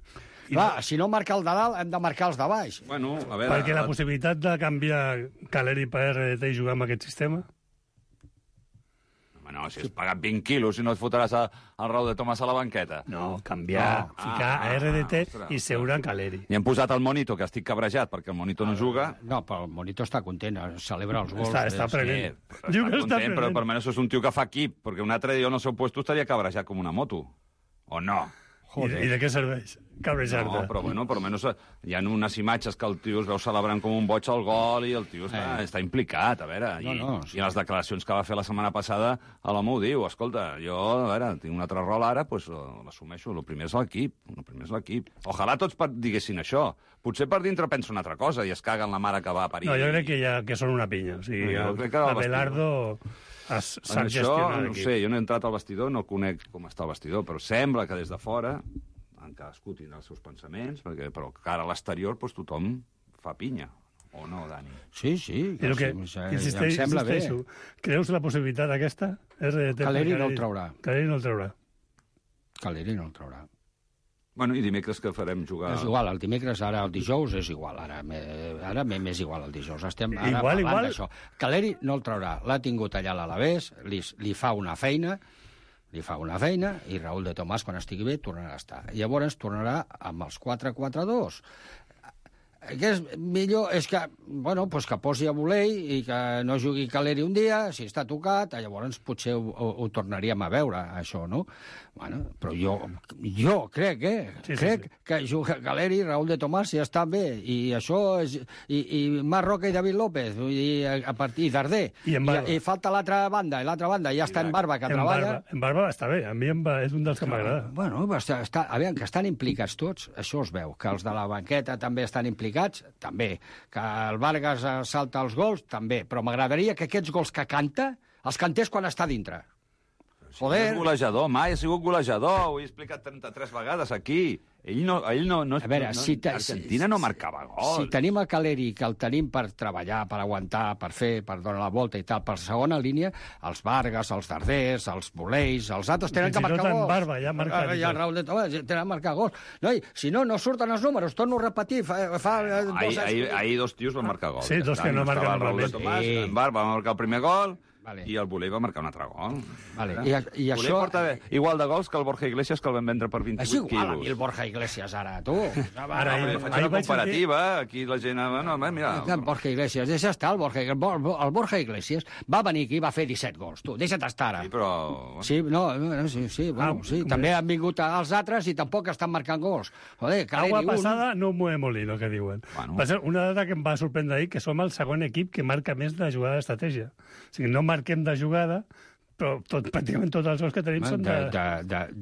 I clar, no... si no marca el de dalt, hem de marcar els de baix. Bueno, a veure... Perquè la possibilitat de canviar Caleri per R D T i jugar amb aquest sistema... Home, no, si has pagat vint quilos i no et fotràs a, al Raúl de Tomàs a la banqueta. No, canviar, No. ficar Ah, a R D T ostres, i seure en Caleri. I hem posat el Monito, que estic cabrejat perquè el Monito no juga. No, però el Monito està content, celebra els gols. Està, està Sí. prenent. Està Diu que està content, però prenent. per almenys és un tio que fa equip, perquè un altre dia jo en el seu puesto estaria cabrejat com una moto. O no? I, I de què serveix? Cabrejar-te. No, però bueno, per almenys hi ha unes imatges que el tio es veu celebrant com un boig al gol i el tio està, Eh. està implicat, a veure. No, I, no, I sí. les declaracions que va fer la setmana passada, a l'home ho diu, escolta, jo, a veure, tinc un altre rol ara, doncs l'assumeixo. El primer és l'equip, el primer és l'equip. Ojalà tots per, diguessin això. Potser per dintre pensa una altra cosa i es caguen la mare que va a parir. No, jo crec que, ja, que són una pinya. O sigui, No, jo el, crec que el Abelardo es- En sap això, gestionar no ho l'equip. sé, jo no he entrat al vestidor, no conec com està el vestidor, però sembla que des de fora, en cadascú tindrà els seus pensaments, perquè, però cara a l'exterior doncs, tothom fa pinya. O no, Dani? Sí, sí, I el que, sí, sí, insisteix, em sembla bé. insisteixo, creus la possibilitat aquesta? R D T Caleri per no el traurà. Caleri no el traurà. Caleri no el traurà. Bueno, i dimecres que farem jugar... És igual, el dimecres, ara el dijous és igual, ara ara m'és igual el dijous. Estem ara igual, parlant igual. d'això. Caleri no el traurà, l'ha tingut allà a l'Alavés, li, li fa una feina, li fa una feina, i Raúl de Tomàs, quan estigui bé, tornarà a estar. Llavors tornarà amb els quatre quatre dos. Que és millor és que, bueno, pues que posi a Volei i que no jugui Caleri un dia, si està tocat, llavors potser ho, ho, ho tornaríem a veure, això, no? Bueno, però jo, jo crec, eh? Sí, crec sí, sí. que juga Caleri, Raúl de Tomàs, ja estan bé, i això és... I, i Marc Roca i David López, i, a partir i Darder, i, i, i falta l'altra banda, i l'altra banda ja està en Barba, que en treballa... Barba, en Barba està bé, a mi en Barba és un dels que m'agrada. Bueno, està, està, a veure, que estan implicats tots, això es veu, que els de la banqueta també estan implicats, també, que el Vargas salta els gols, també, però m'agradaria que aquests gols que canta els cantés quan està dintre. Si Joder. No és golejador, mai ha sigut golejador, ho he explicat trenta-tres vegades aquí. Ell no... Ell no, no, a veure, no si te, Argentina si, no marcava gols. Si tenim a Caleri, que el tenim per treballar, per aguantar, per fer, per donar la volta i tal, per segona línia, els Vargas, els Darders, els Boleis, els altres tenen que marcar gols. Barba, ja marcat. Ja, Raúl de Tomàs, tenen que marcar gols. No, i, si no, no surten els números, torno a repetir. Fa, fa ahir, ahir, ahir dos tios van marcar gols. Sí, dos que no marquen normalment. Tomàs, sí. En Barba va marcar el primer gol, vale. I el Volei va marcar un altre gol. Vale. I, i Volei això... porta igual de gols que el Borja Iglesias, que el vam vendre per vint-i-vuit quilos. És igual a mi el Borja Iglesias, ara, tu. Ara, no, faig una comparativa, aquí la gent... No, mira... El Borja Iglesias, deixa estar, el Borja, el Borja Iglesias va venir aquí i va fer disset gols, tu, deixa't estar ara. Sí, però... Sí, no, no sí, sí, bueno, sí, també han vingut els altres i tampoc estan marcant gols. Joder, Agua passada no mueve molino, que diuen. Bueno. Va ser una dada que em va sorprendre ahir, que som el segon equip que marca més de jugada d'estratègia. O sigui, no marquem de jugada, però tot, pràcticament tots els gols que tenim són de...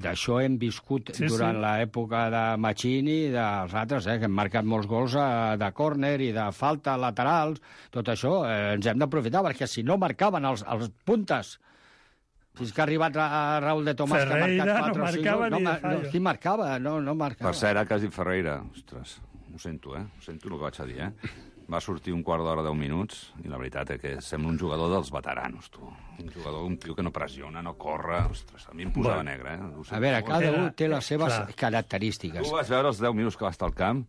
D'això hem viscut sí, durant sí. l'època de Machini i dels altres, eh, que hem marcat molts gols de córner i de falta laterals. Tot això eh, ens hem d'aprofitar, perquè si no marcaven els, els puntes, fins que ha arribat a Raúl de Tomàs, Ferreira, que ha marcat no marcava no, ni no, de fallo. No, qui marcava? No, no marcava. Per cert, que has dit Ferreira. Ostres, ho sento, eh? Ho sento el que vaig a dir, eh? Va sortir un quart d'hora, deu minuts, i la veritat és que sembla un jugador dels veteranos, tu. Un jugador, un tio que no pressiona, no corre. Ostres, a mi em posava bueno, negre, eh? A veure, cada un té les seves clar. característiques. Tu vas veure els deu minuts que va estar al camp?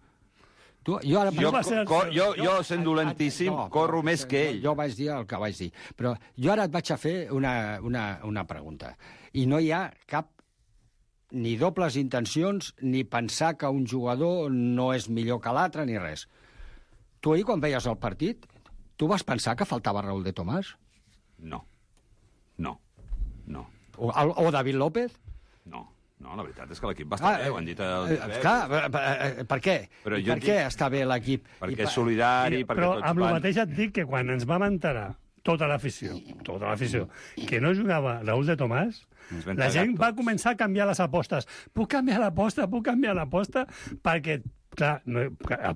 Tu, jo, ara, jo, co, co, jo, jo, sent dolentíssim, no, corro més que ell. Jo vaig dir el que vaig dir. Però jo ara et vaig a fer una, una, una pregunta. I no hi ha cap ni dobles intencions, ni pensar que un jugador no és millor que l'altre, ni res. Tu ahir, quan veies el partit, tu vas pensar que faltava Raúl de Tomàs? No. No. No. O, o David López? No. No, la veritat és que l'equip va estar ah, bé, ho han dit... El... Eh, clar, per, per què? Però per què dic... està bé l'equip? Perquè és solidari, perquè però tots amb van... el mateix et dic que quan ens vam enterar, tota l'afició, tota l'afició, que no jugava Raúl de Tomàs, la gent va començar a canviar les apostes. Puc canviar l'aposta, puc canviar l'aposta, perquè... Clar, no,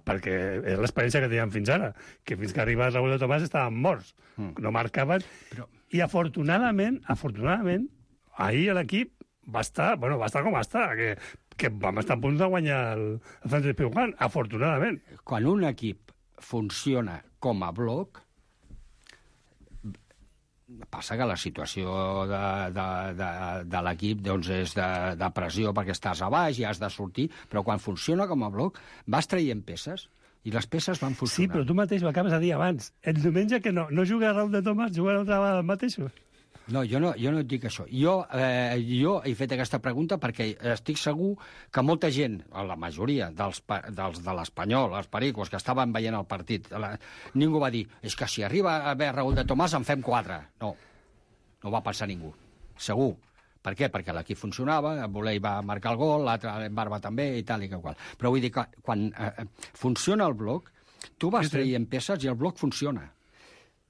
perquè és l'experiència que teníem fins ara, que fins que arriba Raúl de Tomàs estaven morts, no marcaven, però... i afortunadament, afortunadament, ahir l'equip va estar, bueno, va estar com està, que, que vam estar a punt de guanyar el, el Sánchez Pizjuán, afortunadament. Quan un equip funciona com a bloc, passa que la situació de, de, de, de l'equip doncs és de, de pressió perquè estàs a baix i has de sortir, però quan funciona com a bloc vas traient peces i les peces van funcionar. Sí, però tu mateix ho acabes de dir abans. El diumenge que no, no juga Raúl de Tomàs, juga l'altra vegada el mateix. No, jo no, jo no et dic això. Jo, eh, jo he fet aquesta pregunta perquè estic segur que molta gent, la majoria dels, dels de l'Espanyol, els pericos, que estaven veient el partit, la, ningú va dir, és que si arriba a haver Raúl de Tomàs en fem quatre. No, no va pensar ningú. Segur. Per què? Perquè l'equip funcionava, el Volei va marcar el gol, l'altre en Barba també, i tal i que qual. Però vull dir que quan eh, funciona el bloc, tu vas traient peces i el bloc funciona.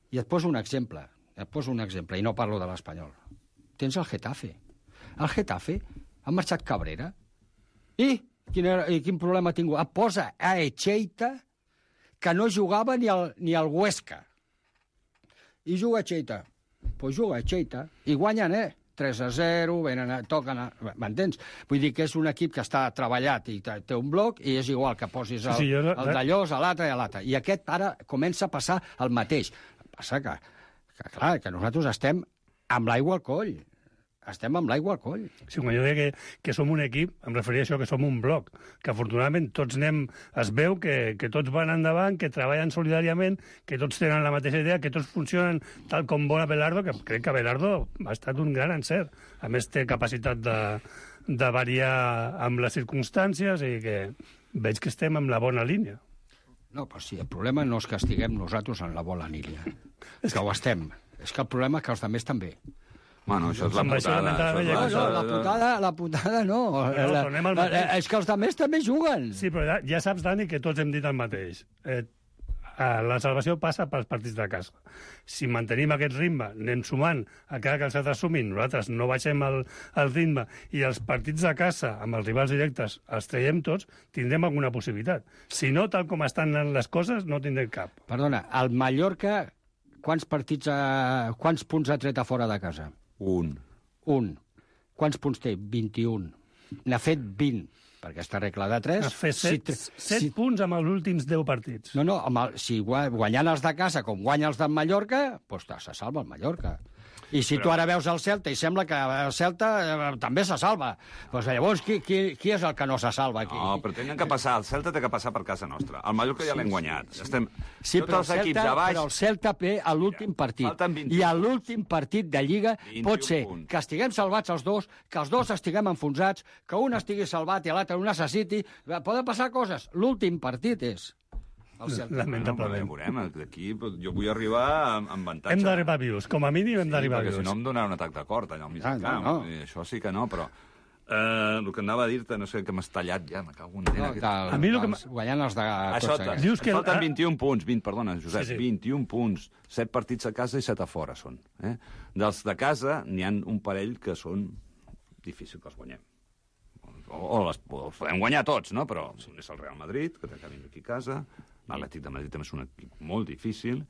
I et poso un exemple. Et poso un exemple, i no parlo de l'Espanyol. Tens el Getafe. El Getafe ha marxat Cabrera. I quin, era, i quin problema ha tingut? Posa a Echeita, que no jugava ni al, ni al Huesca. I juga Echeita. Doncs pues juga Echeita. I guanyen, eh? tres a zero, venen a, toquen a... M'entens? Vull dir que és un equip que està treballat i té un bloc i és igual que posis el, sí, sí, jo... el d'allòs a l'altre i a l'altre. I aquest ara comença a passar el mateix. Passa que que, clar, que nosaltres estem amb l'aigua al coll. estem amb l'aigua al coll. Sí, quan jo deia que, que som un equip, em referia a això, que som un bloc, que afortunadament tots anem, es veu que, que tots van endavant, que treballen solidàriament, que tots tenen la mateixa idea, que tots funcionen tal com vol Abelardo, que crec que Abelardo ha estat un gran encert. A més, té capacitat de, de variar amb les circumstàncies i que veig que estem en la bona línia. No, però sí, el problema no és que estiguem nosaltres en la bona línia, és que ho estem. És que el problema és que els altres també. Bueno, això és la putada. No, no, la putada, la putada no. Però tornem al mateix. És que els altres també juguen. Sí, però ja, ja saps, Dani, que tots hem dit el mateix. Eh, la salvació passa pels partits de casa. Si mantenim aquest ritme, anem sumant a cada que els altres sumin, nosaltres no baixem el, el ritme i els partits de casa amb els rivals directes els traiem tots, tindrem alguna possibilitat. Si no, tal com estan les coses, no tindrem cap. Perdona, el Mallorca, quants partits, a, quants punts ha tret a fora de casa? Un. Un. Quants punts té? vint-i-un. N'ha fet vint, perquè aquesta regla de tres... Has fet set, si, set si... punts amb els últims deu partits. No, no, amb el, si guanyant els de casa com guanya els del Mallorca, doncs se salva el Mallorca. I si però... tu ara veus el Celta i sembla que el Celta eh, també se salva, doncs llavors qui, qui, qui és el que no se salva aquí? No, però tenen que passar, el Celta té que passar per casa nostra. El Mallorca ja l'hem guanyat. Sí, Estem... sí però, el Celta, baix... però el Celta ve a l'últim partit. I a l'últim partit de Lliga pot ser punts. Que estiguem salvats els dos, que els dos estiguem enfonsats, que un estigui salvat i l'altre ho necessiti. Poden passar coses. L'últim partit és... Lamentablement. No, veurem, aquí jo vull arribar amb avantatge. Hem d'arribar vius, com a mínim hem d'arribar sí, vius. Si no em donarà un atac de cort allà al mig ah, del camp. No, no. Això sí que no, però... Eh, el que anava a dir-te, no sé, que m'has tallat ja, me cago en no, del, a mi el que guanyant els de tots aquests. Dius que falten vint-i-un punts, vint, perdona, Josep, sí, sí. vint-i-un punts, set partits a casa i set a fora són. Eh? Dels de casa n'hi ha un parell que són difícils que els guanyem. O, o les o podem guanyar tots, no? Però és el Real Madrid, que té que venir aquí a casa, l'Atlètic de Madrid també és un equip molt difícil,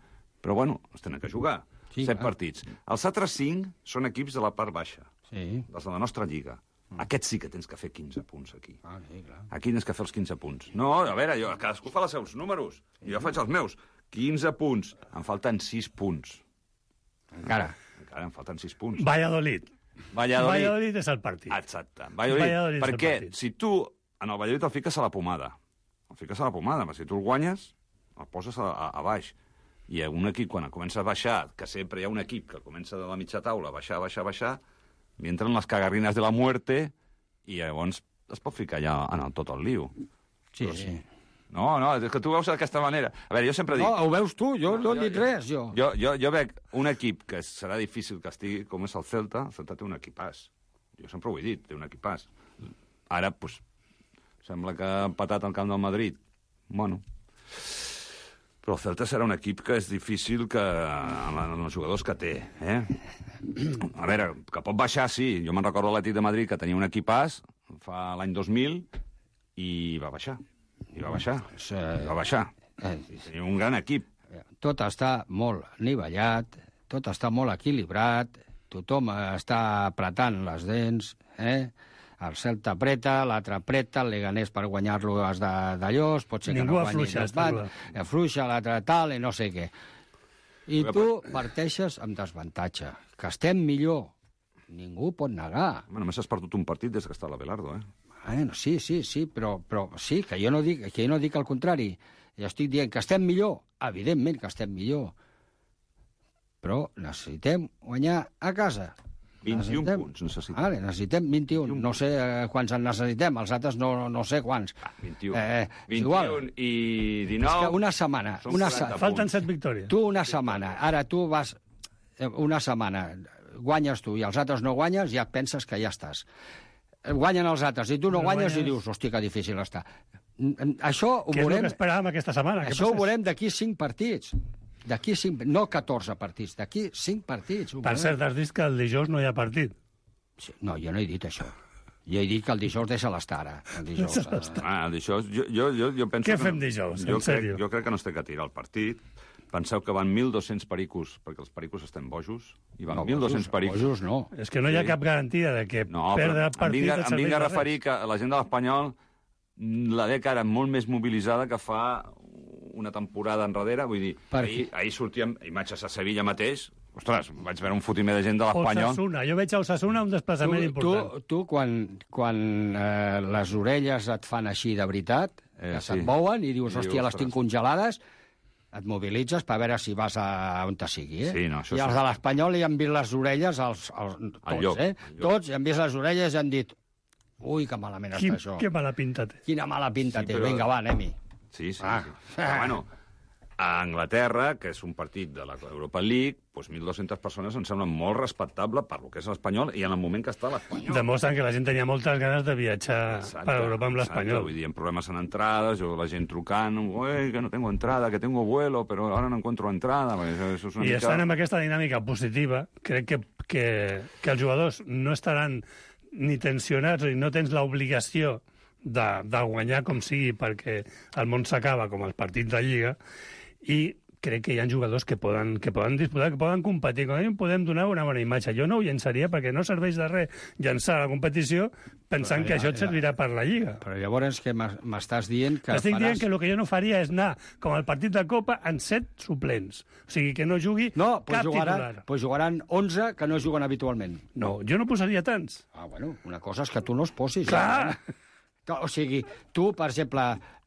però bueno, els tenen que jugar. Sí, set clar. Partits. Els altres cinc són equips de la part baixa, sí. dels de la nostra lliga. Aquests sí que tens que fer quinze punts aquí. Ah, sí, clar. Aquí tens que fer els quinze punts. No, a veure, jo, cadascú fa els seus números. I jo faig els meus. quinze punts. Em falten sis punts. Encara. Encara em falten sis punts. Valladolid. Valladolid. Valladolid és el partit. Exacte. Valladolid. Valladolid perquè si tu en el Valladolid el fiques a la pomada, el fiques a la pomada, però si tu el guanyes, el poses a, a, a baix. I un equip, quan comença a baixar, que sempre hi ha un equip que comença de la mitja taula a baixar, baixar, baixar, li entren les cagarrines de la muerte i llavors es pot ficar ja en el, tot el liu. Sí, Però, sí. No, no, és que tu veus d'aquesta manera. A veure, jo sempre dic... No, ho veus tu, jo no, no he dit res, jo. Jo, jo. jo veig un equip que serà difícil que estigui, com és el Celta. El Celta té un equipàs. Jo sempre ho he dit, té un equipàs. Ara, doncs, sembla que ha empatat al camp del Madrid. Bueno... Però el Celta serà un equip que és difícil que amb els jugadors que té. Eh? A veure, que pot baixar, sí. Jo me'n recordo l'Atlètic de Madrid que tenia un equipàs fa l'any dos mil i va baixar. I va baixar. I va baixar. I tenia un gran equip. Tot està molt nivellat, tot està molt equilibrat, tothom està apretant les dents, eh? El Celta apreta, l'altre apreta, el Leganés per guanyar-lo has d'allò, pot ser que Ningú no guanyi afluixa, el bat, afluixa, l'altre tal, i no sé què. I tu parteixes amb desavantatge. Que estem millor. Ningú pot negar. Bueno, només has perdut un partit des que està l'Abelardo, eh? Bueno, sí, sí, sí, però, però sí, que jo no dic, que jo no dic el contrari. Jo estic dient que estem millor. Evidentment que estem millor. Però necessitem guanyar a casa. vint-i-un necessitem... punts necessitem. Vale, necessitem vint-i-un. No sé quants en necessitem, els altres no, no sé quants. Ah, vint-i-un. Eh, vint-i-un i dinou... És que una setmana... Una se... Falten set victòries. Tu una setmana, ara tu vas... Una setmana, guanyes tu i els altres no guanyes, ja penses que ja estàs. Guanyen els altres i tu no, no guanyes, guanyes i dius, hosti, que difícil està. Això ho Què veurem... és el que esperàvem aquesta setmana? Això ho veurem d'aquí cinc partits. D'aquí cinc, no catorze partits, d'aquí cinc partits. Per cert, has dit que el dijous no hi ha partit. Sí, no, jo no he dit això. Jo he dit que el dijous deixa l'estar, ara. El dijous, eh... ah, el dijous jo, jo, jo, jo penso Què que fem dijous, jo en sèrio? Crec, jo crec que no es té que tirar el partit. Penseu que van mil dos-cents pericos, perquè els pericos estem bojos, i van no, mil dos-cents pericos. Bojos no. És que no hi ha sí. cap garantia de que no, perdre el partit... Em vinc, em vinc a referir que la gent de l'Espanyol la ve cara molt més mobilitzada que fa una temporada enrere, vull dir, per... ahir, ahir sortíem imatges a Sevilla mateix, Ostres, vaig veure un fotimer de gent de l'Espanyol. Osasuna, jo veig a Osasuna un desplaçament tu, important. Tu, tu quan, quan eh, les orelles et fan així de veritat, eh, que sí. se't mouen i dius, I hòstia, dius, les tinc congelades, et mobilitzes per veure si vas a on te sigui, eh? Sí, no, això I els sí. de l'Espanyol hi han vist les orelles, els, els, tots, lloc, eh? Tots hi han vist les orelles i han dit, ui, que malament Quin, està això. que mala pinta té. Quina mala pinta Sí, té. però- Vinga, va, anem-hi. Sí, sí. Ah. sí. Però, bueno, a Anglaterra, que és un partit de l'Europa League, doncs mil dues-centes persones em sembla molt respectable per lo que és l'Espanyol i en el moment que està l'Espanyol. Demostren que la gent tenia moltes ganes de viatjar Exacte, per Europa amb exacte. l'Espanyol. Vull dir, en problemes en entradas, o la gent trucant, uy, que no tengo entrada, que tengo vuelo, però ara no encuentro entrada. Això, això és una I mica... estan amb aquesta dinàmica positiva, crec que, que, que els jugadors no estaran ni tensionats i no tens l'obligació de, de guanyar com sigui perquè el món s'acaba com els partits de Lliga, i crec que hi ha jugadors que poden, que poden disputar, que poden competir. Com a mínim podem donar una bona imatge. Jo no ho llançaria perquè no serveix de res llançar la competició pensant Però, que ja, això et ja. servirà per la Lliga. Però llavors que m'es- m'estàs dient que Estic faràs... dient que el que jo no faria és anar, com al partit de Copa, en set suplents. O sigui, que no jugui No, pues cap jugaran, titular. pues jugaran onze que no juguen habitualment. No, jo no posaria tants. Ah, bueno, una cosa és que tu no els posis. Clar. Ja, eh? O sigui, tu, per exemple,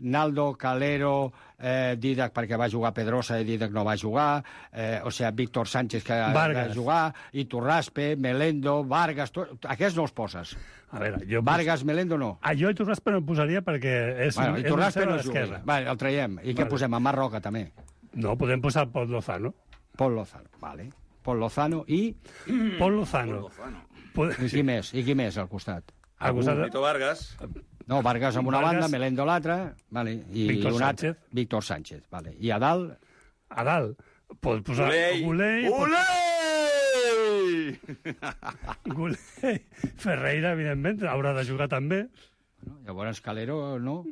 Naldo, Calero, eh, Didac, perquè va jugar Pedrosa i Didac no va jugar, eh, o sigui, Víctor Sánchez, que Vargas. va jugar, Iturraspe, Melendo, Vargas... Tu, aquests no els poses. A veure, jo... Vargas, Melendo, no. Ah, jo Iturraspe no el posaria perquè és, Bueno, és Iturraspe un no cero a juga. l'esquerra. Vale, el traiem. I què Vale. posem? A Mar Roca, també. No, podem posar Pol Lozano. Pol Lozano, vale. Pol Lozano i... Pol Lozano. Pod- I qui més? I qui més al costat? Al costat de- Nito Vargas. No, Vargas amb una Vargas. banda, Melendo a l'altra, vale, i Víctor un altre, Sánchez. Víctor Sánchez, vale. I a dalt, A dalt. Pots posar... Gulei. Gulei. Ulei! Gulei. Ferreira, evidentment, haurà de jugar també. no? Llavors Calero, no?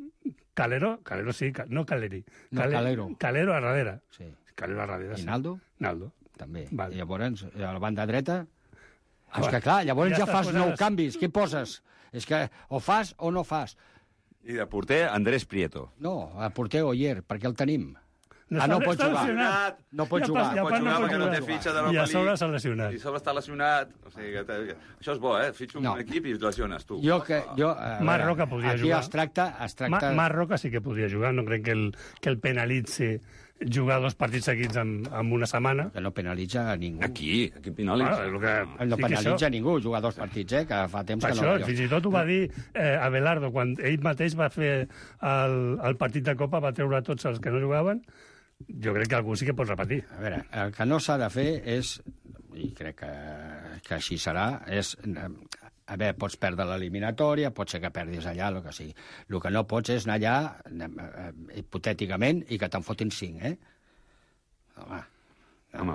Calero, Calero sí, Ca- no Caleri. No, Calero. Calero a darrere. Sí. Calero a darrere, I sí. Naldo? Naldo. També. Vale. I llavors, a la banda dreta... Ah, és va. que clar, llavors Ja ja, estàs fas posant nou les- canvis. Què poses? És que o fas o no fas. I de porter, Andrés Prieto. No, a porter Oyer, perquè el tenim. No ah, no està- pot està jugar. lesionat. No pot I a jugar. part- i a No pot part jugar pot perquè no té jugar. fitxa de I l'Europa a sobre League. s'ha lesionat. I a sobre està lesionat. O sigui, que te- això és bo, eh? Fitxa un No. equip i lesiones, tu. Jo que... Jo, a Marc veure, Roca podria aquí jugar. es tracta... Es Ma tracta... Marc Roca sí que podria jugar, no crec que el, que el penalitzi jugar dos partits seguits en, en una setmana. Que no penalitza a ningú. Aquí, aquí penalitza. Ah, és el que... No sí que penalitza això- ningú jugar dos partits, eh? Que fa temps Per que això, no... fins i tot ho va dir eh, Abelardo, quan ell mateix va fer el, el partit de Copa, va treure tots els que no jugaven. Jo crec que algú sí que pot repetir. A veure, el que no s'ha de fer és, i crec que, que així serà, és... A veure, pots perdre l'eliminatòria, pot ser que perdis allà, el que sigui. El que no pots és anar allà, eh, hipotèticament, i que te'n fotin cinc, eh? Home, Home,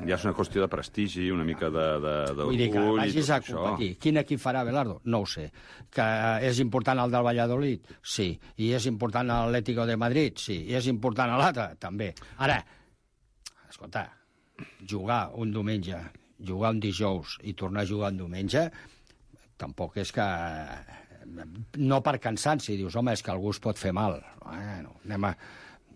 ja és una qüestió de prestigi, una mica de... de, de vull dir que orgull i vagis tot a això. competir. Quin equip farà Abelardo? No ho sé. Que és important el del Valladolid? Sí. I és important l'Atlético de Madrid? Sí. I és important l'altre? També. Ara, escolta, jugar un diumenge, jugar un dijous i tornar a jugar un diumenge, tampoc és que... No per cansanci, dius, home, és que algú es pot fer mal. Bueno, anem a...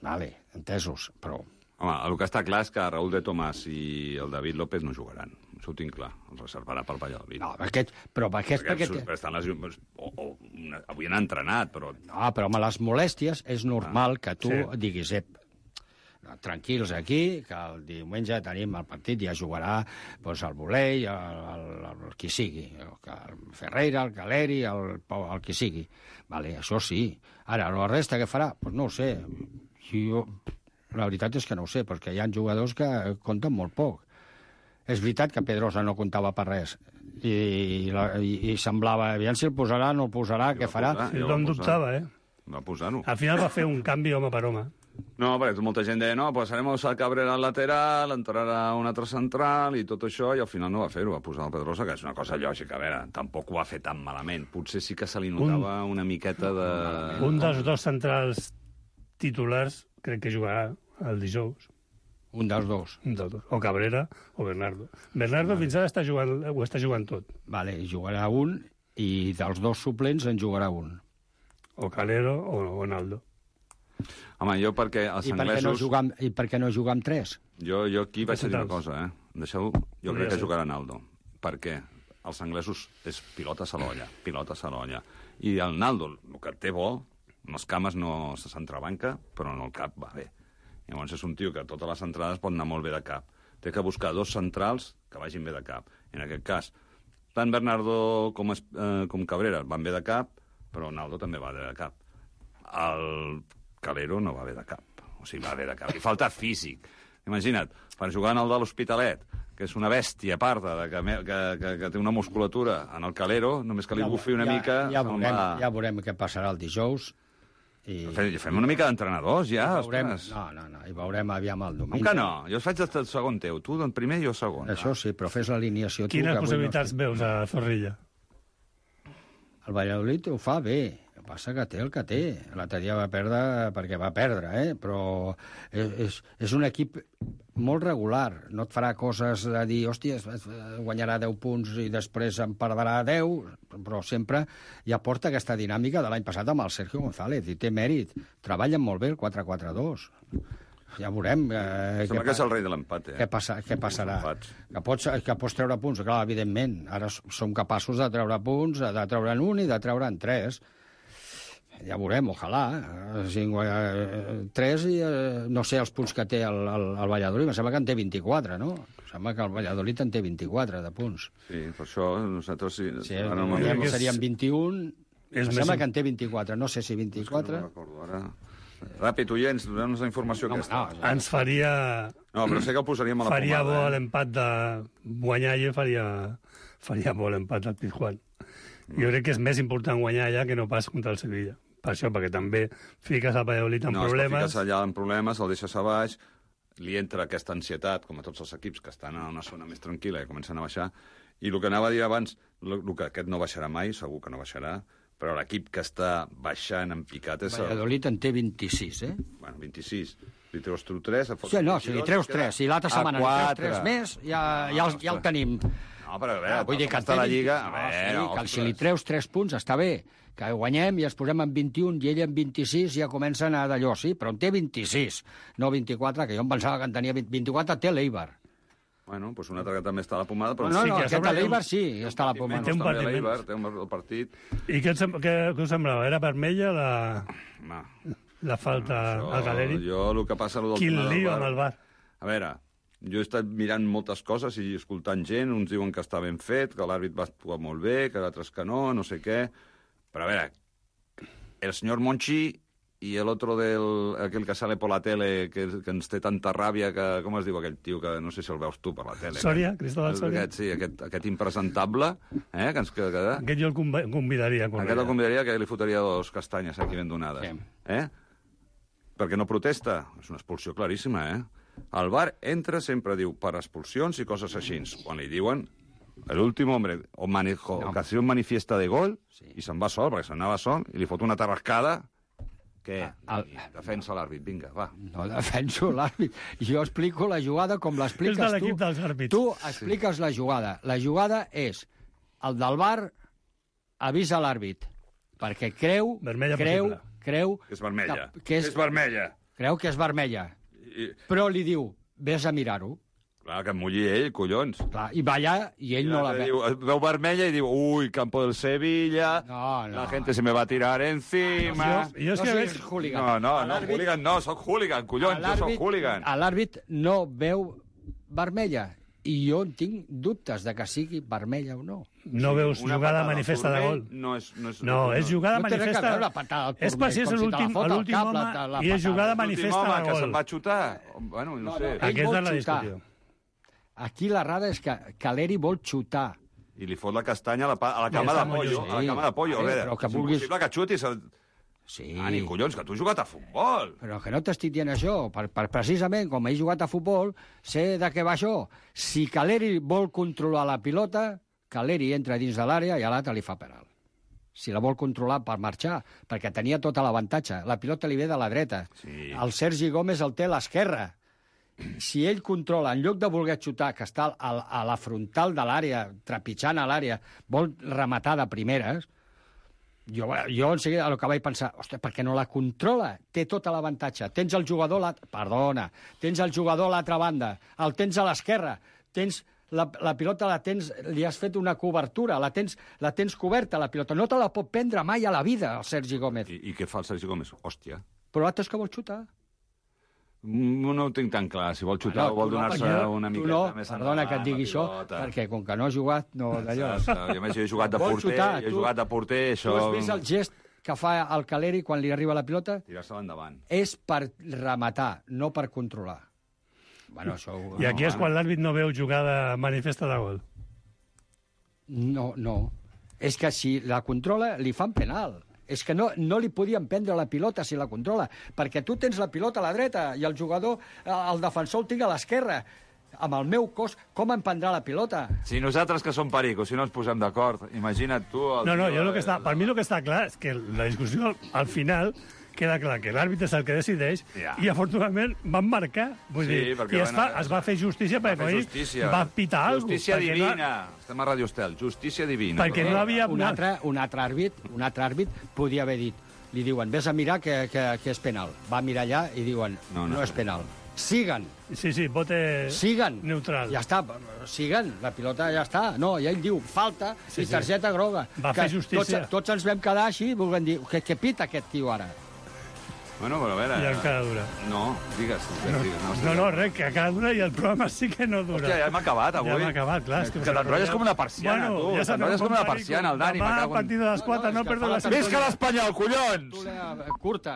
Vale, entesos, però... Home, el que està clar és que Raúl de Tomàs i el David López no jugaran. Això ho tinc clar. Els reservarà pel Valladolid. No, aquest, però aquest... perquè, perquè, perquè estan lesionats. O, o, una, avui han entrenat, però... No, però amb les molèsties és normal que tu Sí. diguis, ep, tranquils aquí, que el diumenge tenim el partit, ja jugarà doncs, el Volei, el, el, el qui sigui, el, el Ferreira, el Caleri, el, Pau, el qui sigui. Vale, això sí. Ara, la resta què farà? Pues no ho sé. Jo, la veritat és que no ho sé, perquè hi ha jugadors que compten molt poc. És veritat que Pedrosa no comptava per res, i, la, i, i semblava, aviam si el posarà, no el posarà, què farà? posar. Sí, jo tothom va posar. dubtava, eh? Va posar-ho. Al final va fer un canvi home per home. No, perquè molta gent deia, no, posaremos a Cabrera al lateral, entrarà un altre central i tot això, i al final no va fer-ho, va posar el Pedrosa, que és una cosa lògica. A veure, tampoc ho va fer tan malament. Potser sí que se li notava un... una miqueta de... Un dels dos centrals titulars crec que jugarà el dijous. Un dels dos. Un dels dos. O Cabrera o Bernardo. Bernardo fins ara està jugant, ho està jugant tot. Vale, jugarà un, i dels dos suplents en jugarà un. O Calero o, o Naldo. Home, jo perquè els I per què no anglesos... jugar amb, I per què no jugar amb tres? Jo, jo aquí vaig a dir una cosa, eh? Deixeu... Jo crec que jugarà Naldo. Per què? Els anglesos és pilota a l'olla, pilota a l'olla. I el Naldo, el que té bo, amb els cames no se s'entrebanca, però en el cap va bé. Llavors és un tio que a totes les entrades pot anar molt bé de cap. Té que buscar dos centrals que vagin bé de cap. En aquest cas, tant Bernardo com, es, eh, com Cabrera van bé de cap, però Naldo també va bé de cap. El Calero no va bé de cap. O sigui, va bé de cap. Li falta físic. Imagina't, per jugar en el de l'Hospitalet, que és una bèstia parda, de que, que, que, que té una musculatura en el Calero, només que li bufi una ja, mica... Ja veurem, va... ja veurem què passarà el dijous. I... Fem, fem una mica d'entrenadors, ja. Veurem... No, no, no, i veurem aviam el domingo. Com que no? Jo faig el segon teu. Tu el primer i jo segon. Això sí, però fes l'alineació tu. Quines possibilitats no... veus a Zorrilla? El Valladolid ho fa bé. El que passa que té el que té. L'altre dia va perdre perquè va perdre, eh? Però és, és, és un equip molt regular. No et farà coses de dir, hòstia, guanyarà deu punts i després en perdrà deu, però sempre ja porta aquesta dinàmica de l'any passat amb el Sergio González, i té mèrit. Treballen molt bé el quatre quatre dos. Ja veurem... Eh, Sembla que és el rei de l'empat, eh? Què, passa, què passarà? Que pots, que pots treure punts, clar, evidentment. Ara som capaços de treure punts, de treure'n un i de treure'n tres. Ja veurem, ojalà. Tres i eh, no sé els punts que té el, el, el Valladolid. Em sembla que en té vint-i-quatre, no? Em sembla que el Valladolid en té vint-i-quatre de punts. Sí, per això nosaltres... Sí, sí ara no no serien vint-i-un. Em sembla més... que en té vint-i-quatre. No sé si vint-i-quatre. No recordo ara... Ràpid, oients, donem-nos la informació no, aquesta. No, ens faria... No, però sé que el posaríem a la faria pomada. Faria bo eh? l'empat de guanyar i faria, faria bo l'empat del Pizjuán. Mm. Jo crec que és més important guanyar allà que no pas contra el Sevilla. Per això, perquè també fiques el Valladolid en no, problemes... No, fiques allà en problemes, el deixes a baix, li entra aquesta ansietat, com a tots els equips que estan en una zona més tranquil·la i comencen a baixar, i el que anava a dir abans, el que aquest no baixarà mai, segur que no baixarà, però l'equip que està baixant en picat és... Valladolid en té vint-i-sis, eh? Bueno, vint-i-sis. Si treus tu tres... Sí, no, si li treus tres, si l'altra setmana li treus tres més, ja, ja, el, ja el tenim. No, però a veure, vull dir que està la Lliga... No, a veure, sí, que si li treus tres punts està bé, que guanyem i ens posem en vint-i-un i ell en vint-i-sis ja comença a anar d'allò, sí, però en té vint-i-sis, no vint-i-quatre, que jo em pensava que en tenia vint-i-quatre, té l'Eibar. Bueno, doncs un altre que també està a la pomada, però... No, no, sí, no que aquest a l'Eibar sí, està a la pomada. Té un partit l'Eibar, té un partit... I què, què, què us semblava? Era vermella la, no. la falta no, al Galeri? Jo el que passa... El Quin lío amb el bar. A veure, jo he estat mirant moltes coses i escoltant gent, uns diuen que està ben fet, que l'àrbit va actuar molt bé, que d'altres que no, no sé què... Però a veure, el senyor Monchi i l'altre del aquell que sale per la tele, que, que ens té tanta ràbia, que com es diu aquell tio, que no sé si el veus tu per la tele. Soria, Cristóbal Soria. Aquest, sí, aquest, aquest impresentable, eh, que ens... Que, que, aquest jo el convidaria. Aquest el convidaria, que li fotria dos castanyes aquí ben donades. Sí. Eh? Perquè no protesta. És una expulsió claríssima, eh? El V A R entra, sempre diu, per expulsions i coses així. Quan li diuen... L'últim home o manejo, no. Ocasió manifiesta de gol, sí. I se'n va sol, perquè se'n anava sol, i li fot una tarrascada. Què? El... Defensa l'àrbit, vinga, va. No defenso l'àrbit. Jo explico la jugada com l'expliques tu. És de l'equip dels àrbits. Tu expliques sí. La jugada. La jugada és el del V A R avisa l'àrbit, perquè creu... Vermella creu, possible. Creu... Que és vermella. Que, que és, és vermella. Creu que és vermella. I... Però li diu, vés a mirar-ho. Clar, que em mulli ell, collons. Clar, i va allà i ell I no la veu. Veu vermella i diu, ui, campo del Sevilla, no, no. La gente se me va a tirar encima... Jo, jo és no que veig hooligan. No, no, no, hooligan no, soc hooligan, collons, jo soc hooligan. L'àrbit no veu vermella i jo tinc dubtes de que sigui vermella o no. No sí, veus jugada manifesta de gol. No, és, no, és, no, no és jugada no manifesta... Veure, és per si és l'últim home i és jugada manifesta de gol. Que se'n va xutar. Bueno, no, no sé. No, aquesta és la discussió. Aquí la rada és que Caleri vol xutar. I li fot la castanya a la, a la cama de pollo. Sí. A la cama de pollo. A veure, que és vulguis... impossible que xutis... El... Sí. Ah, ni collons, que tu has jugat a futbol. Però que no t'estic dient això. Per, per precisament, com he jugat a futbol, sé de què va això. Si Caleri vol controlar la pilota, Caleri entra dins de l'àrea i a l'altre li fa penal. Si la vol controlar per marxar, perquè tenia tota l'avantatge. La pilota li ve de la dreta. Sí. El Sergi Gómez el té a l'esquerra. Si ell controla, en lloc de voler xutar, que està a, a la frontal de l'àrea, trepitjant a l'àrea, vol rematar de primeres, Jo, jo en seguida el que vaig pensar, ostres, perquè no la controla, té tot l'avantatge. Tens el jugador, la... perdona, tens el jugador a l'altra banda, el tens a l'esquerra, tens la, la pilota la tens, li has fet una cobertura, la tens, la tens coberta, la pilota. No te la pot prendre mai a la vida, el Sergi Gómez. I, i què fa el Sergi Gómez? Hòstia. Però l'altre és que vol xutar. No, no ho tinc tan clar, si vol xutar bueno, o vol donar-se no, una miqueta no, més endavant. Perdona que et digui això, perquè com que no ha jugat, no d'allò. I a més, jo he jugat de porter, xutar, jo he tu, jugat de porter, això... Tu has vist el gest que fa el Caleri quan li arriba la pilota? Tirar-se-la endavant. És per rematar, no per controlar. Bueno, això... I aquí no, és quan l'àrbit no veu jugada manifesta de gol. No, no. És que si la controla, li fan penal. És que no, no li podien prendre la pilota si la controla, perquè tu tens la pilota a la dreta i el jugador, el defensor el tinc a l'esquerra. Amb el meu cos, com em prendrà la pilota? Si nosaltres que som pericos, si no ens posem d'acord, imagina't tu... El no, no, jo el que està, per mi el que està clar és que la discussió al final queda clar que l'àrbitre és el que decideix ja. I afortunadament van marcar. Vull sí, dir, i es, fa, es va fer justícia perquè justícia. Va pitar alguna cosa. Justícia divina. No... Estem a Radio Estel. Justícia divina. Perquè no havia... Un altre, un altre àrbit, un altre àrbit podia haver dit, li diuen, vés a mirar que, que, que és penal. Va mirar allà i diuen, no, no, no és penal. Siguen. Sí, sí, bote Siguen. Neutral. Ja està, siguen, la pilota ja està. No, ja ell diu, falta sí, i targeta sí. groga. Va que fer justícia. Tots, tots ens vam quedar així, volent dir, què, què pita aquest tio ara? Bueno, però a veure... I encara dura. No, digues. No, digues, no, no, no, res, que encara dura i el programa sí que no dura. Hòstia, ja hem acabat, avui. Ja hem acabat, clar. Que, que t'enrotlles com una persiana, bueno, tu. Ja t'enrotlles com una persiana, el Dani. Demà, a partir de les quatre, no, no perdó la sintonia. Visca l'Espanyol, collons! Curta.